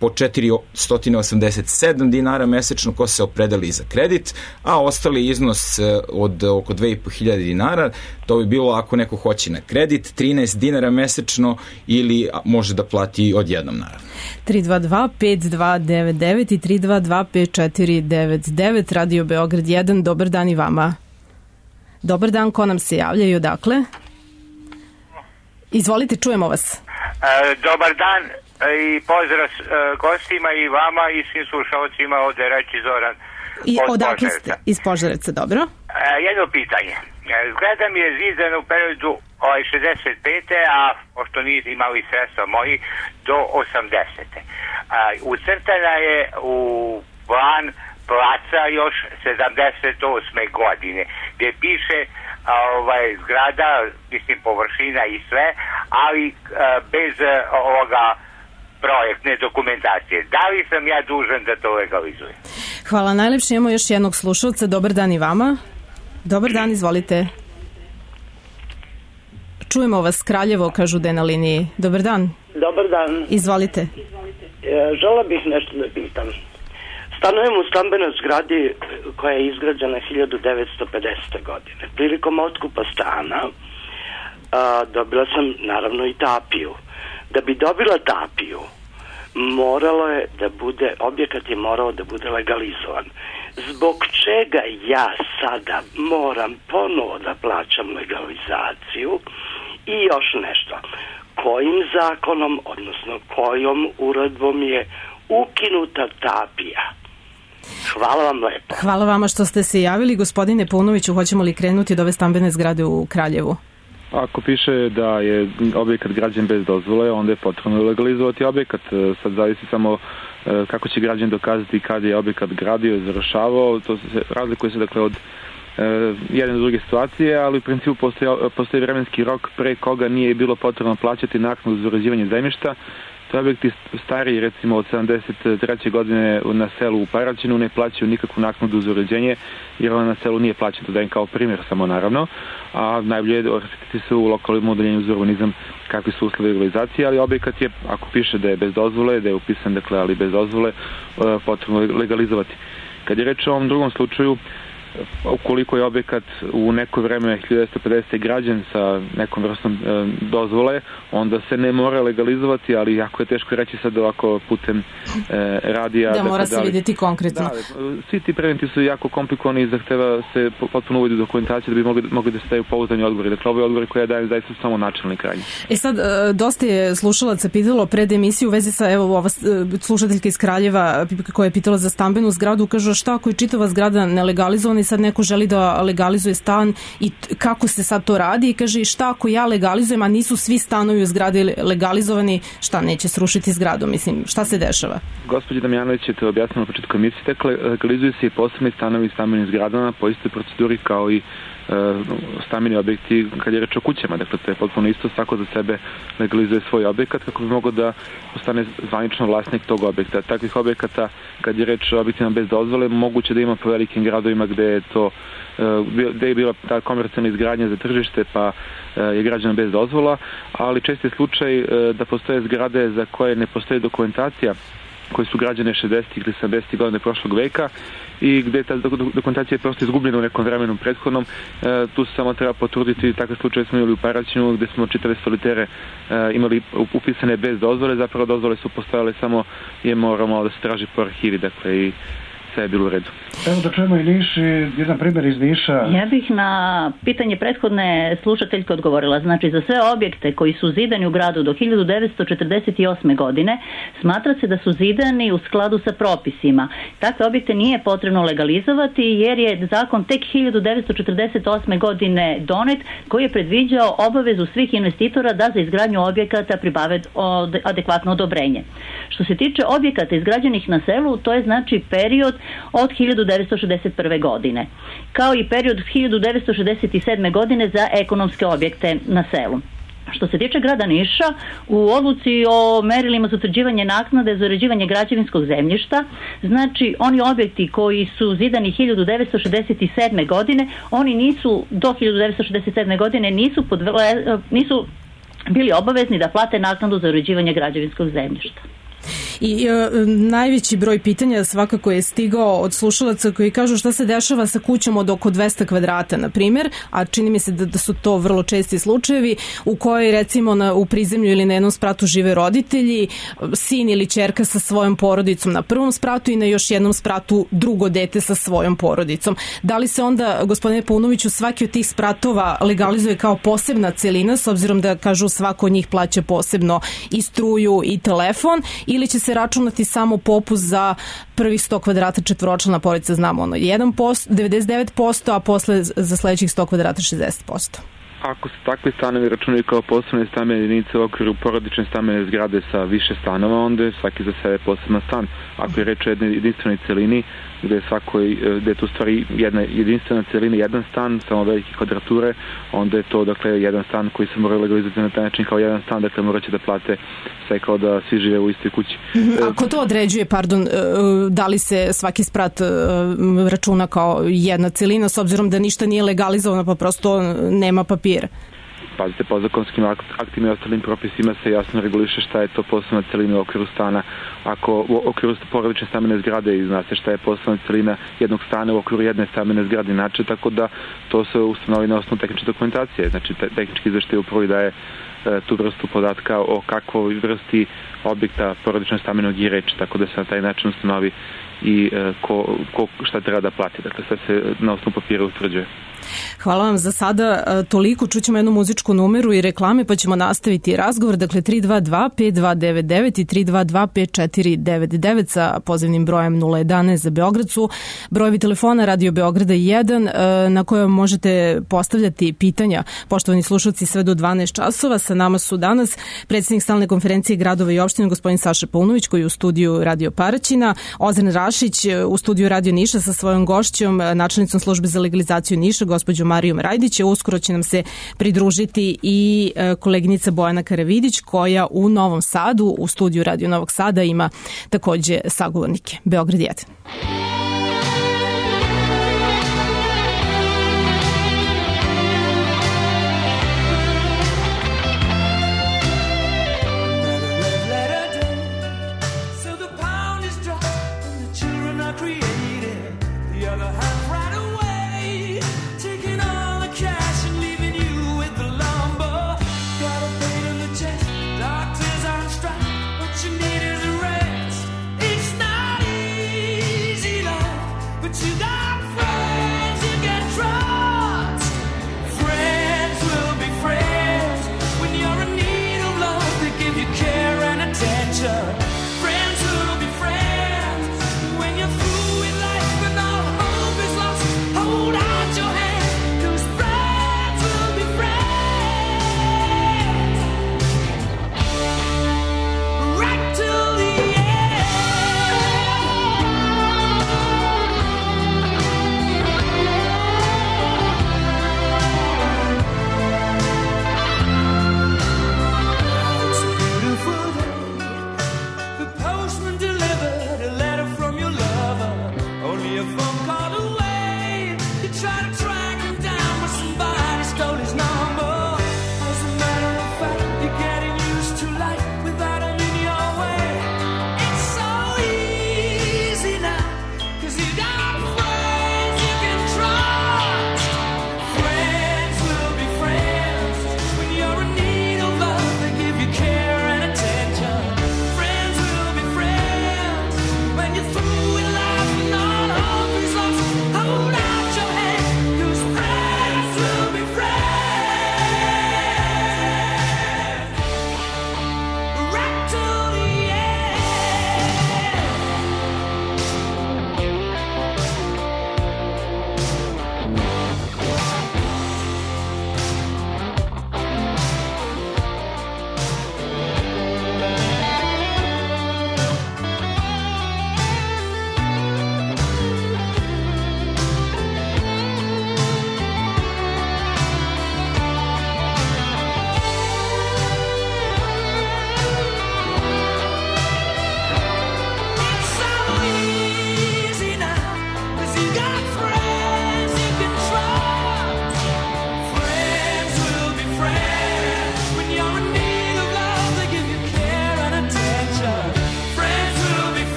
po četiristo osamdeset sedam dinara mesečno ko se opredeli za kredit, a ostali iznos od oko dve i po hiljade dinara, to bi bilo ako neko hoće na kredit, trinaest dinara mesečno ili može da plati odjednom, naravno. tri dva dva pet dva devet devet i tri dva dva pet četiri devet devet, Radio Beograd jedan, dobar dan i vama. Dobar dan, ko nam se javlja i odakle? Izvolite, čujemo vas. E, dobar dan i pozdrav e, gostima i vama i svim slušalcima, ovde reći Zoran I odakle ste? Iz Požarevca, dobro. E, jedno pitanje. E, zgrada mi je zidana u periodu ovaj, šezdeset pete a pošto niste imali sredstva moji, do osamdesete E, ucrtana je u plan placa još sedamdeset osme godine, gdje piše ovaj, zgrada, mislim površina i sve, ali a, bez a, ovoga projektne dokumentacije. Da li sam ja dužan da to legalizujem? Hvala najlepše, imamo još jednog slušalca. Dobar dan i vama. Dobar dan, izvolite. Čujemo vas, Kraljevo, kažu da je na liniji. Dobar dan. Dobar dan. Izvolite. E, žela bih nešto da pitam. Stanujem u stambenoj zgradi koja je izgrađena hiljadu devetsto pedesete godine. Prilikom otkupa stana a, dobila sam naravno i tapiju. Da bi dobila tapiju, moralo je da bude, objekat je morao da bude legalizovan. Zbog čega ja sada moram ponovo da plaćam legalizaciju? I još nešto. Kojim zakonom, odnosno kojom uredbom je ukinuta tapija? Hvala vam lepo. Hvala vama što ste se javili. Gospodine Paunoviću, hoćemo li krenuti od ove stambene zgrade u Kraljevu? Ako piše da je objekat građen bez dozvole, onda je potrebno legalizovati objekat. Sad zavisi samo kako će građan dokazati kada je objekat gradio i završavao. To se razlikuje se dakle od jedne do druge situacije, ali u principu postoji, postoji vremenski rok pre koga nije bilo potrebno plaćati naknadu za uređivanje zemljišta. To objekti stariji, recimo od sedamdeset treće godine na selu u Paraćinu, ne plaćaju nikakvu naknadu za uređenje, jer ona na selu nije plaćena, to dajem kao primjer samo naravno, a najbolje je osjetiti se u lokalnom udeljenju za urbanizam kakvi su uslovi legalizacije, ali objekat je, ako piše da je bez dozvole, da je upisan, dakle, ali bez dozvole, potrebno legalizovati. Kad je reč o ovom drugom slučaju, ukoliko je objekat u neko vreme hiljadu devetsto pedesete građen sa nekom vrstom e, dozvole, onda se ne mora legalizovati, ali jako je teško reći sad ovako putem e, radija. Da, mora se da li, vidjeti konkretno. Da, svi ti preventi su jako komplikovani i zahteva se potpuno uvodi dokumentaciju da bi mogli, mogli da se daju pouzdani odgovori. Dakle, ove odgovori koje ja dajem zaista su samo načelni krajnji. E sad, dosta je slušalaca pitalo pred emisiju u vezi sa, evo, ova slušateljka iz Kraljeva koja je pitala za stambenu zgradu, kaže šta ako je čitava zgrada nelegalizovana i sad neko želi da legalizuje stan i kako se sad to radi i kaže šta ako ja legalizujem, a nisu svi stanovi u zgradi legalizovani, šta neće srušiti zgradu, mislim, šta se dešava? Gospođa Damjanović je to objasnila na početku emisije, dakle, legalizuju se i posebni stanovi i stambenim zgradama po istoj proceduri kao i stambeni objekti kad je reč o kućama, dakle to je potpuno isto, svako za sebe legalizuje svoj objekat kako bi mogao da postane zvanično vlasnik tog objekta. Takvih objekata, kad je reč o objektima bez dozvole, moguće da ima po velikim gradovima gde je to gde je bila ta komercijalna izgradnja za tržište pa je građena bez dozvola, ali čest je slučaj da postoje zgrade za koje ne postoji dokumentacija koje su građane šezdesetih ili sedamdesetih godine prošlog veka i gde ta dokumentacija je prosto izgubljena u nekom vremenu prethodnom. E, tu se samo treba potruditi, takav slučaj smo imali u Paraćinu gde smo čitave solitere e, imali upisane bez dozvole, zapravo dozvole su postojale, samo je moramo da se traži po arhivi, dakle i sve je bilo u redu. Evo da čujemo i Niš, jedan primjer iz Niša. Ja bih na pitanje prethodne slušateljke odgovorila. Znači, za sve objekte koji su zidani u gradu do hiljadu devetsto četrdeset osme godine, smatra se da su zidani u skladu sa propisima. Takve objekte nije potrebno legalizovati jer je zakon tek hiljadu devetsto četrdeset osme godine donet, koji je predviđao obavezu svih investitora da za izgradnju objekata pribave adekvatno odobrenje. Što se tiče objekata izgrađenih na selu, to je znači period od hiljadu devetsto šezdeset prve godine, kao i period hiljadu devetsto šezdeset sedme godine za ekonomske objekte na selu. Što se tiče grada Niša, u odluci o merilima za utvrđivanje naknade za uređivanje građevinskog zemljišta, znači oni objekti koji su zidani hiljadu devetsto šezdeset sedme. godine, oni nisu do hiljadu devetsto šezdeset sedme. godine nisu, podvele, nisu bili obavezni da plate naknadu za uređivanje građevinskog zemljišta. I e, najveći broj pitanja svakako je stigao od slušalaca koji kažu šta se dešava sa kućom od oko dvesta kvadrata, na primjer, a čini mi se da, da su to vrlo česti slučajevi u kojoj recimo na, u prizemlju ili na jednom spratu žive roditelji, sin ili ćerka sa svojom porodicom na prvom spratu i na još jednom spratu drugo dete sa svojom porodicom. Da li se onda, gospodine Paunoviću, svaki od tih spratova legalizuje kao posebna celina, s obzirom da kažu svako od njih plaća posebno i struju i telefon, ili će se računati samo popust za prvih sto kvadrata četvoročlana porodica, znamo ono jedan posto, devedeset devet posto, a posle za sledećih sto kvadrata šezdeset posto. Ako se takvi stanovi računaju kao posebne stambene jedinice u okviru porodične stambene zgrade sa više stanova, onda je svaki za sebe poseban stan. Ako je reč o jednoj jedinstvenoj celini, gde je, svakoj, gde je tu stvari jedna jedinstvena celina, jedan stan, samo velike kvadrature, onda je to dakle jedan stan koji se mora legalizovati na taj način kao jedan stan, dakle morat će da plate sve kao da svi žive u istoj kući. Ako to određuje, pardon, da li se svaki sprat računa kao jedna celina, s obzirom da ništa nije legalizovano, pa prosto nema papira? Pazite, po zakonskim aktima i ostalim propisima se jasno reguliše šta je to posebna celina u okviru stana. Ako u okviru porodične stambene zgrade i zna se šta je posebna celina jednog stana u okviru jedne stambene zgrade inače, tako da to se ustanovi na osnovu tehničke dokumentacije. Znači, te, tehnički izveštaj upravo daje e, tu vrstu podatka o kakvoj vrsti objekta porodičnog stambenog je reč, tako da se na taj način ustanovi i e, ko, ko šta treba da plati. Dakle, sve se na osnovu papira utvrđuje. Hvala vam za sada toliko. Čućemo jednu muzičku numeru i reklame pa ćemo nastaviti razgovor. Dakle, tri dva dva pet dva devet devet i tri dva dva pet četiri devet devet sa pozivnim brojem nula jedanaest za Beograd su brojevi telefona Radio Beograda jedan na koje možete postavljati pitanja. Poštovani slušalci, sve do dvanaest časova. Sa nama su danas predsjednik stalne konferencije gradova i opština gospodin Saša Paunović koji je u studiju Radio Paraćina, Ozren Rašić u studiju Radio Niša sa svojom gošćom, načelnicom službe za legalizaciju Niša, gospođom Marijom Rajdić. Uskoro će nam se pridružiti i koleginica Bojana Karavidić koja u Novom Sadu, u studiju Radio Novog Sada ima takođe sagovornike. Beograd jedan. Doctors on strike, what you need is a rest. It's not easy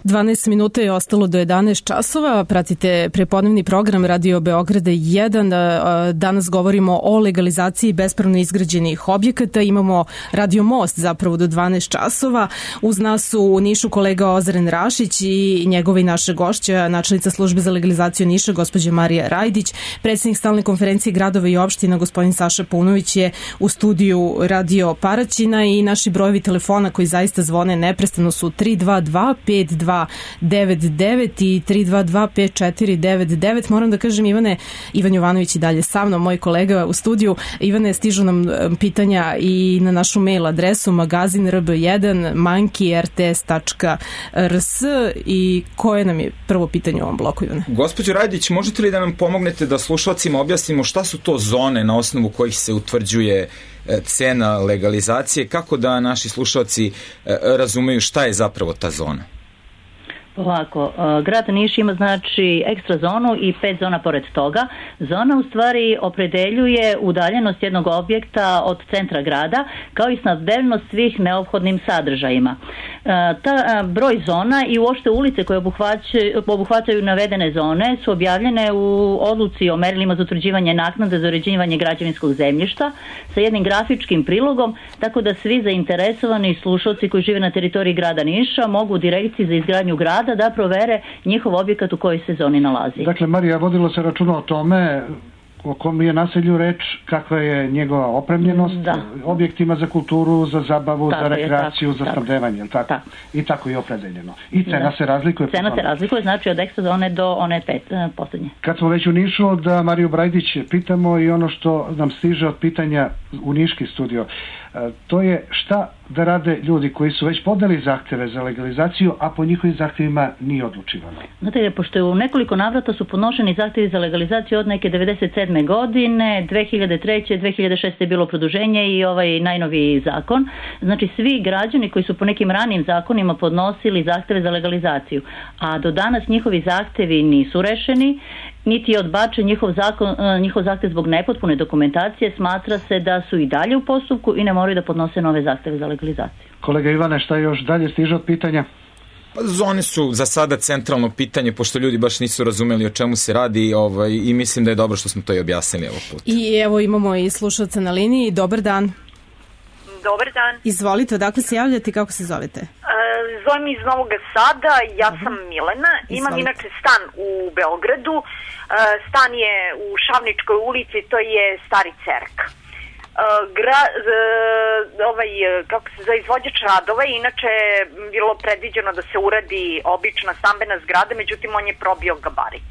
dvanaest minuta je ostalo do jedanaest časova. Pratite prepodnevni program Radio Beograda jedan. Danas govorimo o legalizaciji bespravno izgrađenih objekata. Imamo Radio Most zapravo do dvanaest časova. Uz nas su u Nišu kolega Ozren Rašić i njegova i naša gošća, načelnica službe za legalizaciju Niša, gospođa Marija Rajdić. Predsednik stalne konferencije gradova i opština, gospodin Saša Paunović, je u studiju Radio Paraćina i naši brojevi telefona koji zaista zvone neprestano su tri dva dva pet dva devet devet i tri dva dva pet četiri devet devet. Moram da kažem, Ivane, Ivan Jovanović i dalje sa mnom, moj kolega u studiju. Ivane, stižu nam pitanja i na našu mail adresu magazin r b jedan manki r t s tačka r s. I koje nam je prvo pitanje u ovom bloku, Ivane? Gospođo Rajdić, možete li da nam pomognete da slušalcima objasnimo šta su to zone na osnovu kojih se utvrđuje cena legalizacije, kako da naši slušalci razumeju šta je zapravo ta zona? Ovako, grad Niš ima znači ekstra zonu i pet zona pored toga. Zona u stvari opredeljuje udaljenost jednog objekta od centra grada, kao i snabdevnost svih neophodnim sadržajima. Ta broj zona i uopšte ulice koje obuhvaćaju, obuhvaćaju navedene zone su objavljene u odluci o merilima za utvrđivanje naknade za uređivanje građevinskog zemljišta sa jednim grafičkim prilogom, tako da svi zainteresovani slušalci koji žive na teritoriji grada Niša mogu u direkciji za izgradnju grada da provere njihov objekat u kojoj se zoni nalazi. Dakle, Marija, vodilo se računa o tome o kom je naselju reč, kakva je njegova opremljenost, da. Objektima za kulturu, za zabavu, tako za rekreaciju, je, tako, za snabdevanje, tako? Tako. I tako je opredeljeno. I cena da. se razlikuje. Cena se razlikuje, znači od ekstra zone do one pet, posljednje. Kad smo već u Nišu, da Mariju Brajdić pitamo i ono što nam stiže od pitanja u Niški studio, to je šta da rade ljudi koji su već podali zahteve za legalizaciju, a po njihovim zahtevima nije odlučivano. Znate, pošto u nekoliko navrata su podnošeni zahtevi za legalizaciju od neke devedeset sedme godine, dve hiljade treće. dve hiljade šeste. je bilo produženje i ovaj najnoviji zakon. Znači, svi građani koji su po nekim ranijim zakonima podnosili zahteve za legalizaciju, a do danas njihovi zahtevi nisu rešeni, niti je odbačen njihov, zakon, njihov zahtev zbog nepotpune dokumentacije, smatra se da su i dalje u postupku i ne moraju da podnose nove zahteve za legalizaciju. Kolega Ivane, šta još dalje stiže od pitanja? Pa zone su za sada centralno pitanje, pošto ljudi baš nisu razumeli o čemu se radi, ovaj, i mislim da je dobro što smo to i objasnili ovog puta. I evo imamo i slušalca na liniji. Dobar dan. Dobar dan. Izvolite, odakle se javljate i kako se zovete? E, zovem iz Novog Sada, ja sam Milena, imam Izvolite. inače stan u Beogradu, e, stan je u Šavničkoj ulici, to je Stari Cerk. E, gra, e, ovaj, kako se za izvođač radova, inače bilo predviđeno da se uradi obična stambena zgrada, međutim on je probio gabarit.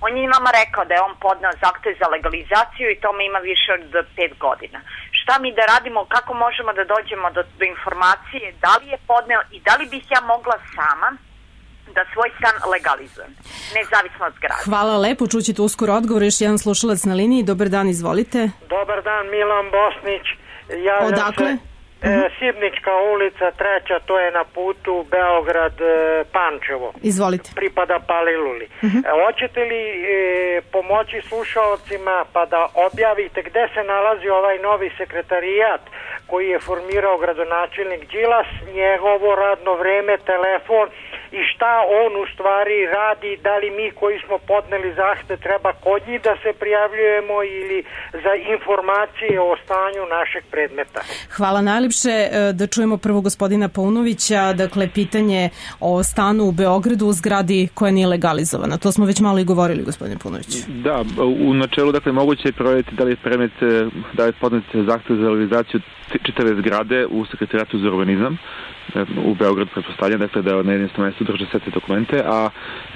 On je nama rekao da je on podneo zahtev za legalizaciju i tome ima više od pet godina. Šta mi da radimo, kako možemo da dođemo do, do informacije, da li je podneo i da li bih ja mogla sama da svoj stan legalizujem, nezavisno od zgrade. Hvala lepo, čućete uskoro odgovor. Još jedan slušalac na liniji. Dobar dan, izvolite. Dobar dan, Milan Bosnić. Javljam Odakle? Se, e, Sibnička ulica, treća, to je na putu Beograd-Pančevo. Izvolite. Pripada Paliluli. Uh-huh. E, hoćete li e, pomoći slušalcima pa da objavite gde se nalazi ovaj novi sekretarijat koji je formirao gradonačelnik Đilas, njegovo radno vreme, telefon i šta on u stvari radi, da li mi koji smo podneli zahtev treba kod njih da se prijavljujemo ili za informacije o stanju našeg predmeta. Hvala najljepše. Da čujemo prvo gospodina Paunovića, dakle pitanje o stanu u Beogradu u zgradi koja nije legalizovana. To smo već malo i govorili, gospodine Paunović. Da, u načelu dakle moguće je provjeriti da li je predmet, da je podnet zahtev za legalizaciju čitave zgrade u Sekretarijatu za urbanizam u Beogradu, pretpostavljam, dakle da na jednom mjestu drže sve te dokumente, a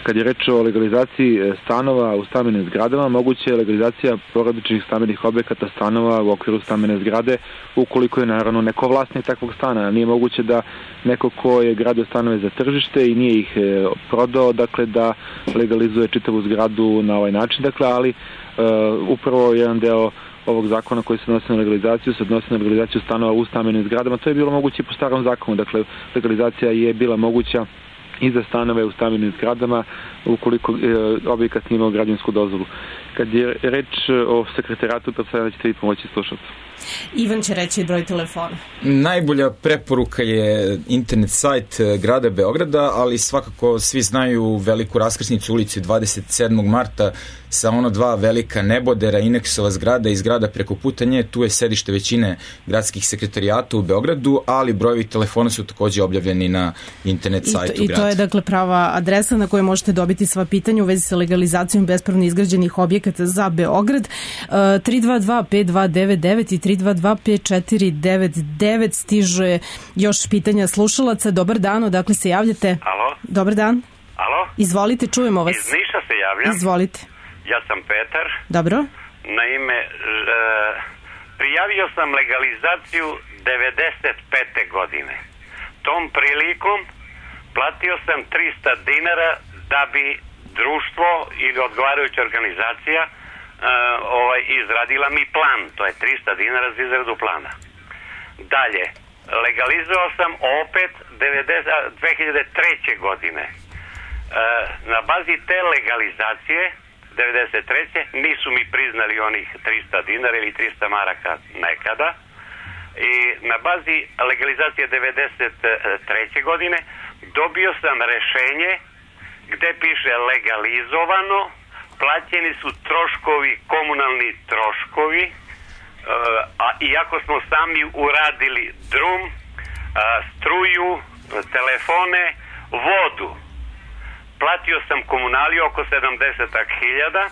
kad je reč o legalizaciji stanova u stambenim zgradama, moguće je legalizacija porodičnih stambenih objekata stanova u okviru stambene zgrade, ukoliko je naravno neko vlasnik takvog stana. Nije moguće da neko ko je gradio stanove za tržište i nije ih prodao, dakle da legalizuje čitavu zgradu na ovaj način, dakle, ali uh, upravo jedan deo ovog zakona koji se odnosi na legalizaciju se odnosi na legalizaciju stanova u stambenim zgradama. To je bilo moguće po starom zakonu, dakle legalizacija je bila moguća i za stanove u stambenim zgradama ukoliko e, objekat nije imao građevinsku dozvolu. Kad je reč o sekretarijatu, pretpostavljam da ćete vi pomoći slušalcu. Ivan će reći broj telefona. Najbolja preporuka je internet sajt grada Beograda, ali svakako svi znaju veliku raskrsnicu ulici dvadeset sedmog marta sa ono dva velika nebodera, Ineksova zgrada i zgrada preko puta nje. Tu je sedište većine gradskih sekretarijata u Beogradu, ali brojevi telefona su takođe objavljeni na internet sajtu I to, grada. I to je dakle prava adresa na kojoj možete dobiti sva pitanja u vezi sa legalizacijom bespravno izgrađenih objekata za Beograd. tri dva dva pet dva devet devet i tri dva dva pet četiri devet devet. Stiže još pitanja slušalaca. Dobar dan, odakle se javljate? Alo? Dobar dan. Alo? Izvolite, čujemo vas. Iz Niša se javljam. Izvolite. Ja sam Petar. Dobro. Naime, e, prijavio sam legalizaciju devedeset pete godine. Tom prilikom platio sam trista dinara da bi društvo ili odgovarajuća organizacija e, ovaj, izradila mi plan. To je trista dinara za izradu plana. Dalje, legalizovao sam opet dve hiljade treće. godine. E, na bazi te legalizacije devedeset treće. nisu mi priznali onih trista dinara ili trista maraka nekada. I na bazi legalizacije devedeset treće. godine dobio sam rešenje gde piše legalizovano, plaćeni su troškovi, komunalni troškovi, a iako smo sami uradili drum, struju, telefone, vodu. Platio sam komunaliju oko sedamdeset hiljada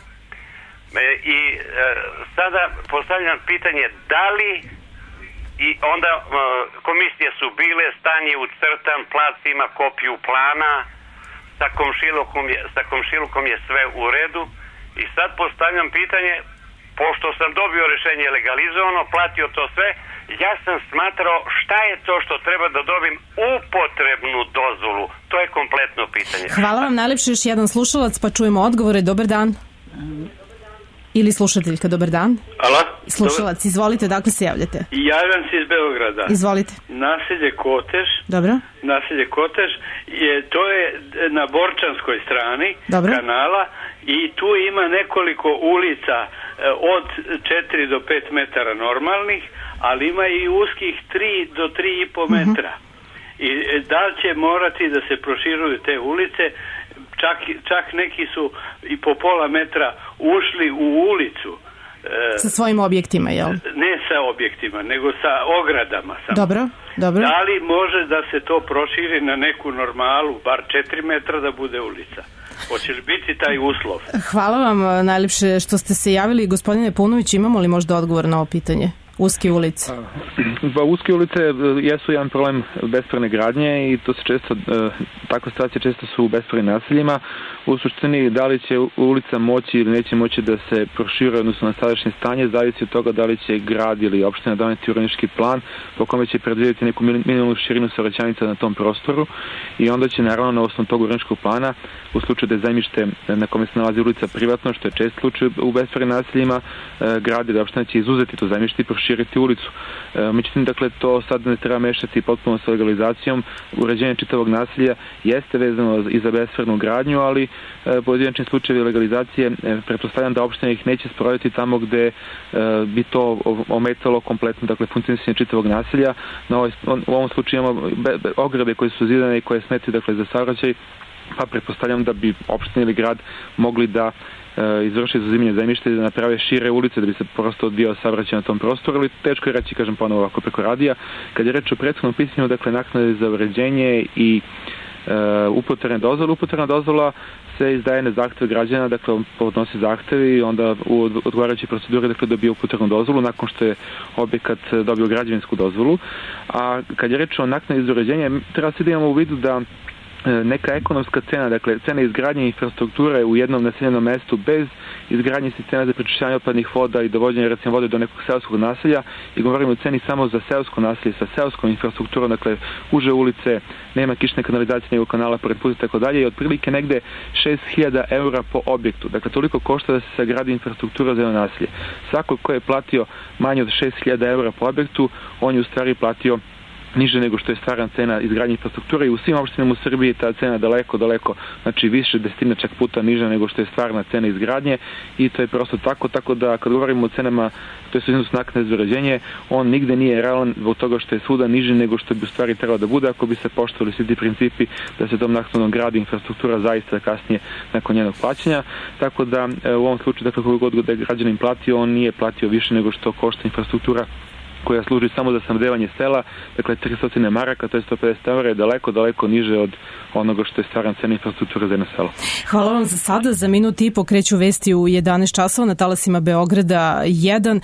i sada postavljam pitanje da li i onda komisije su bile, stanje ucrtan, plac ima kopiju plana, sa komšilukom je, sa komšilukom je sve u redu i sad postavljam pitanje, pošto sam dobio rešenje legalizovano, platio to sve, ja sam smatrao šta je to što treba da dobijem upotrebnu dozvolu. To je kompletno pitanje. Hvala vam najlepše, još jedan slušalac, pa čujemo odgovore. Dobar dan. Ili slušateljka, dobar dan. Alo? Slušalac, izvolite, dakle se javljate. Javljam se iz Beograda. Izvolite. Naselje Kotež. Dobro. Naselje Kotež, je, to je na Borčanskoj strani Dobro. kanala i tu ima nekoliko ulica od četiri do pet metara normalnih, ali ima i uskih tri do tri i po metra. Uh-huh. I da li će morati da se proširuju te ulice, čak, čak neki su i po pola metra ušli u ulicu. Sa svojim objektima, jel? Ne sa objektima, nego sa ogradama. Samo. Dobro, dobro. Da li može da se to proširi na neku normalu, bar četiri metra da bude ulica? Hoće li biti taj uslov? Hvala vam najljepše što ste se javili. Gospodine Punović, imamo li možda odgovor na ovo pitanje? Uske ulice. Pa, uske ulice jesu jedan problem bespravne gradnje i to se često, takve situacije često su u bespravnim naseljima. U suštini, da li će ulica moći ili neće moći da se prošire odnosno na sadašnje stanje, zavisi od toga da li će grad ili opština doneti urbanistički plan po kome će predvidjeti neku minimalnu širinu saobraćajnica na tom prostoru i onda će naravno na osnovu tog urbanističkog plana, u slučaju da je zemljište na kome se nalazi ulica privatno, što je čest slučaj u bespravnim naseljima, grad ili opština će izuzeti to zemljište i proširiti ulicu. Međutim, dakle, to sad ne treba mešati potpuno sa legalizacijom. Uređenje čitavog naselja jeste vezano i za bespravnu gradnju, ali pojedinačni slučajevi legalizacije pretpostavljam da opština ih neće sprovoditi tamo gde bi to ometalo kompletno, dakle, funkcionisanje čitavog naselja. Na ovaj, u ovom slučaju imamo ograde koje su zidane i koje smetaju, dakle, za saobraćaj, pa pretpostavljam da bi opština ili grad mogli da izvrši izuzimanje zemljišta i da naprave šire ulice da bi se prosto odvijao saobraćaj na tom prostoru, ali teško je reći, kažem ponovo ovako preko radija. Kad je reč o prethodnom pitanju, dakle, naknade za uređenje i uh, upotrebne dozvole, upotrebna dozvola se izdaje na zahteve građana, dakle, on podnosi zahtevi i onda u odgovarajućoj proceduri, dakle, dobije upotrebnu dozvolu nakon što je objekat dobio građevinsku dozvolu. A kad je reč o naknadi za uređenje, treba se da imamo u vidu da neka ekonomska cena, dakle cena izgradnje infrastrukture u jednom naseljenom mestu bez izgradnje sistema za prečišćavanje otpadnih voda i dovođenje recimo vode do nekog seoskog naselja, i govorimo o ceni samo za seosko naselje sa seoskom infrastrukturom, dakle uže ulice, nema kišne kanalizacije nego kanala pored puta i tako dalje, i otprilike negde šest hiljada eura po objektu. Dakle, toliko košta da se sagradi infrastruktura za jedno naselje. Svako ko je platio manje od šest hiljada eura po objektu, on je u stvari platio niže nego što je stvarna cena izgradnje infrastrukture i u svim opštinama u Srbiji ta cena daleko, daleko, znači više desetina čak puta niža nego što je stvarna cena izgradnje i to je prosto tako, tako da kad govorimo o cenama, to je iznos naknade za uređenje, on nigde nije realan zbog toga što je svuda niži nego što bi u stvari trebalo da bude ako bi se poštovali svi ti principi da se tom naknadom gradi infrastruktura zaista kasnije nakon njenog plaćanja, tako da u ovom slučaju, dakle, koliko god da je građanin platio, on nije platio više nego što košta infrastruktura koja služi samo za snabdevanje sela, dakle tristo maraka, to je sto pedeset evra, je daleko, daleko niže od onoga što je stvarna cena infrastruktura za jedno selo. Hvala vam za sada. Za minut i po kreću vesti u jedanaest časova na talasima Beograda jedan.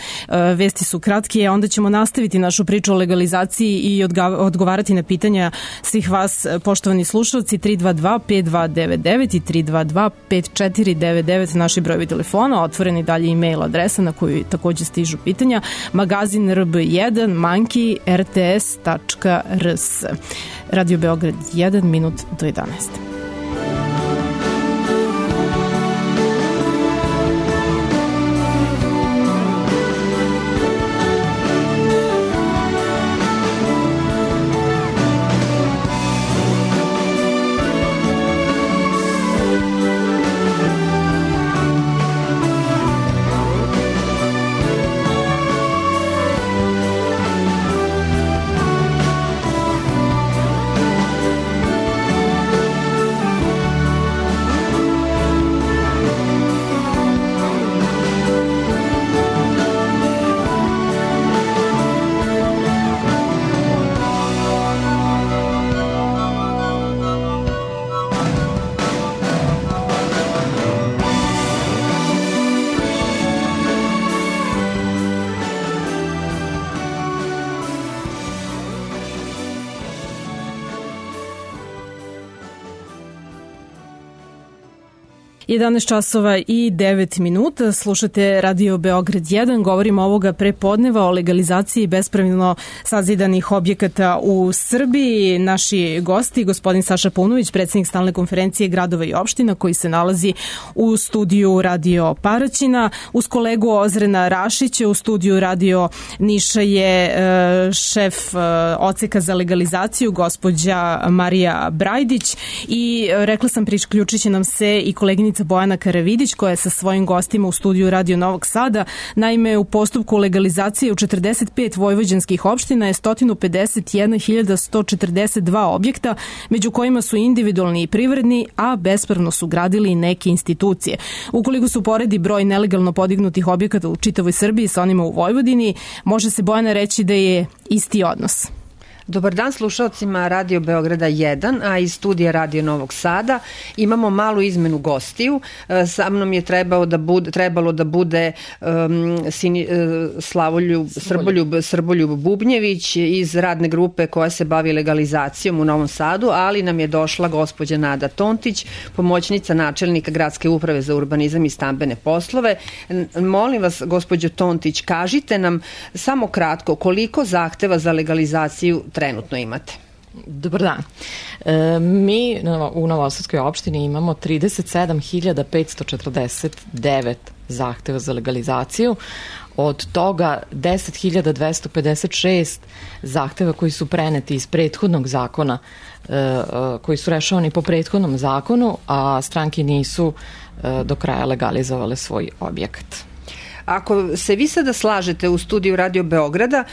Vesti su kratke, a onda ćemo nastaviti našu priču o legalizaciji i odgovarati na pitanja svih vas, poštovani slušalci. Tri dva dva pet dva devet devet i tri dva dva pet četiri devet devet naši brojevi telefona, otvoreni dalje e-mail adresa na koju takođe stižu pitanja, magazin r b jedan manki r t s tačka r s. Radio Beograd jedan, minut do jedanaest. jedanaest časova i devet minuta, slušate Radio Beograd jedan, govorimo ovoga prepodneva o legalizaciji bespravno sazidanih objekata u Srbiji. Naši gosti, gospodin Saša Paunović, predsjednik stalne konferencije gradova i opština koji se nalazi u studiju Radio Paraćina, uz kolegu Ozrena Rašića u studiju Radio Niša je šef odseka za legalizaciju, gospođa Marija Brajdić, i rekla sam priključit će nam se i koleginica Bojana Karavidić koja je sa svojim gostima u studiju Radio Novog Sada. Naime, u postupku legalizacije u četrdeset pet vojvođanskih opština je sto pedeset jedna hiljada sto četrdeset dva objekta, među kojima su individualni i privredni, a bespravno su gradili i neke institucije. Ukoliko su poredi broj nelegalno podignutih objekata u čitavoj Srbiji sa onima u Vojvodini, može se, Bojana, reći da je isti odnos. Dobar dan slušalcima Radio Beograda jedan, a iz studija Radio Novog Sada imamo malu izmenu gostiju. Sa mnom je trebalo da bude, trebalo da bude um, Sini, uh, Slavoljub, Srboljub, Srboljub Bubnjević iz radne grupe koja se bavi legalizacijom u Novom Sadu, ali nam je došla gospođa Nada Tontić, pomoćnica načelnika Gradske uprave za urbanizam i stambene poslove. Molim vas, gospođo Tontić, kažite nam samo kratko koliko zahteva za legalizaciju trenutno imate. Dobar dan. E, mi u Novosadskoj opštini imamo trideset sedam hiljada petsto četrdeset devet zahteva za legalizaciju. Od toga deset hiljada dvesta pedeset šest zahteva koji su preneti iz prethodnog zakona, e, koji su rešavani po prethodnom zakonu, a stranke nisu e, do kraja legalizovale svoj objekat. Ako se vi sada slažete u studiju Radio Beograda,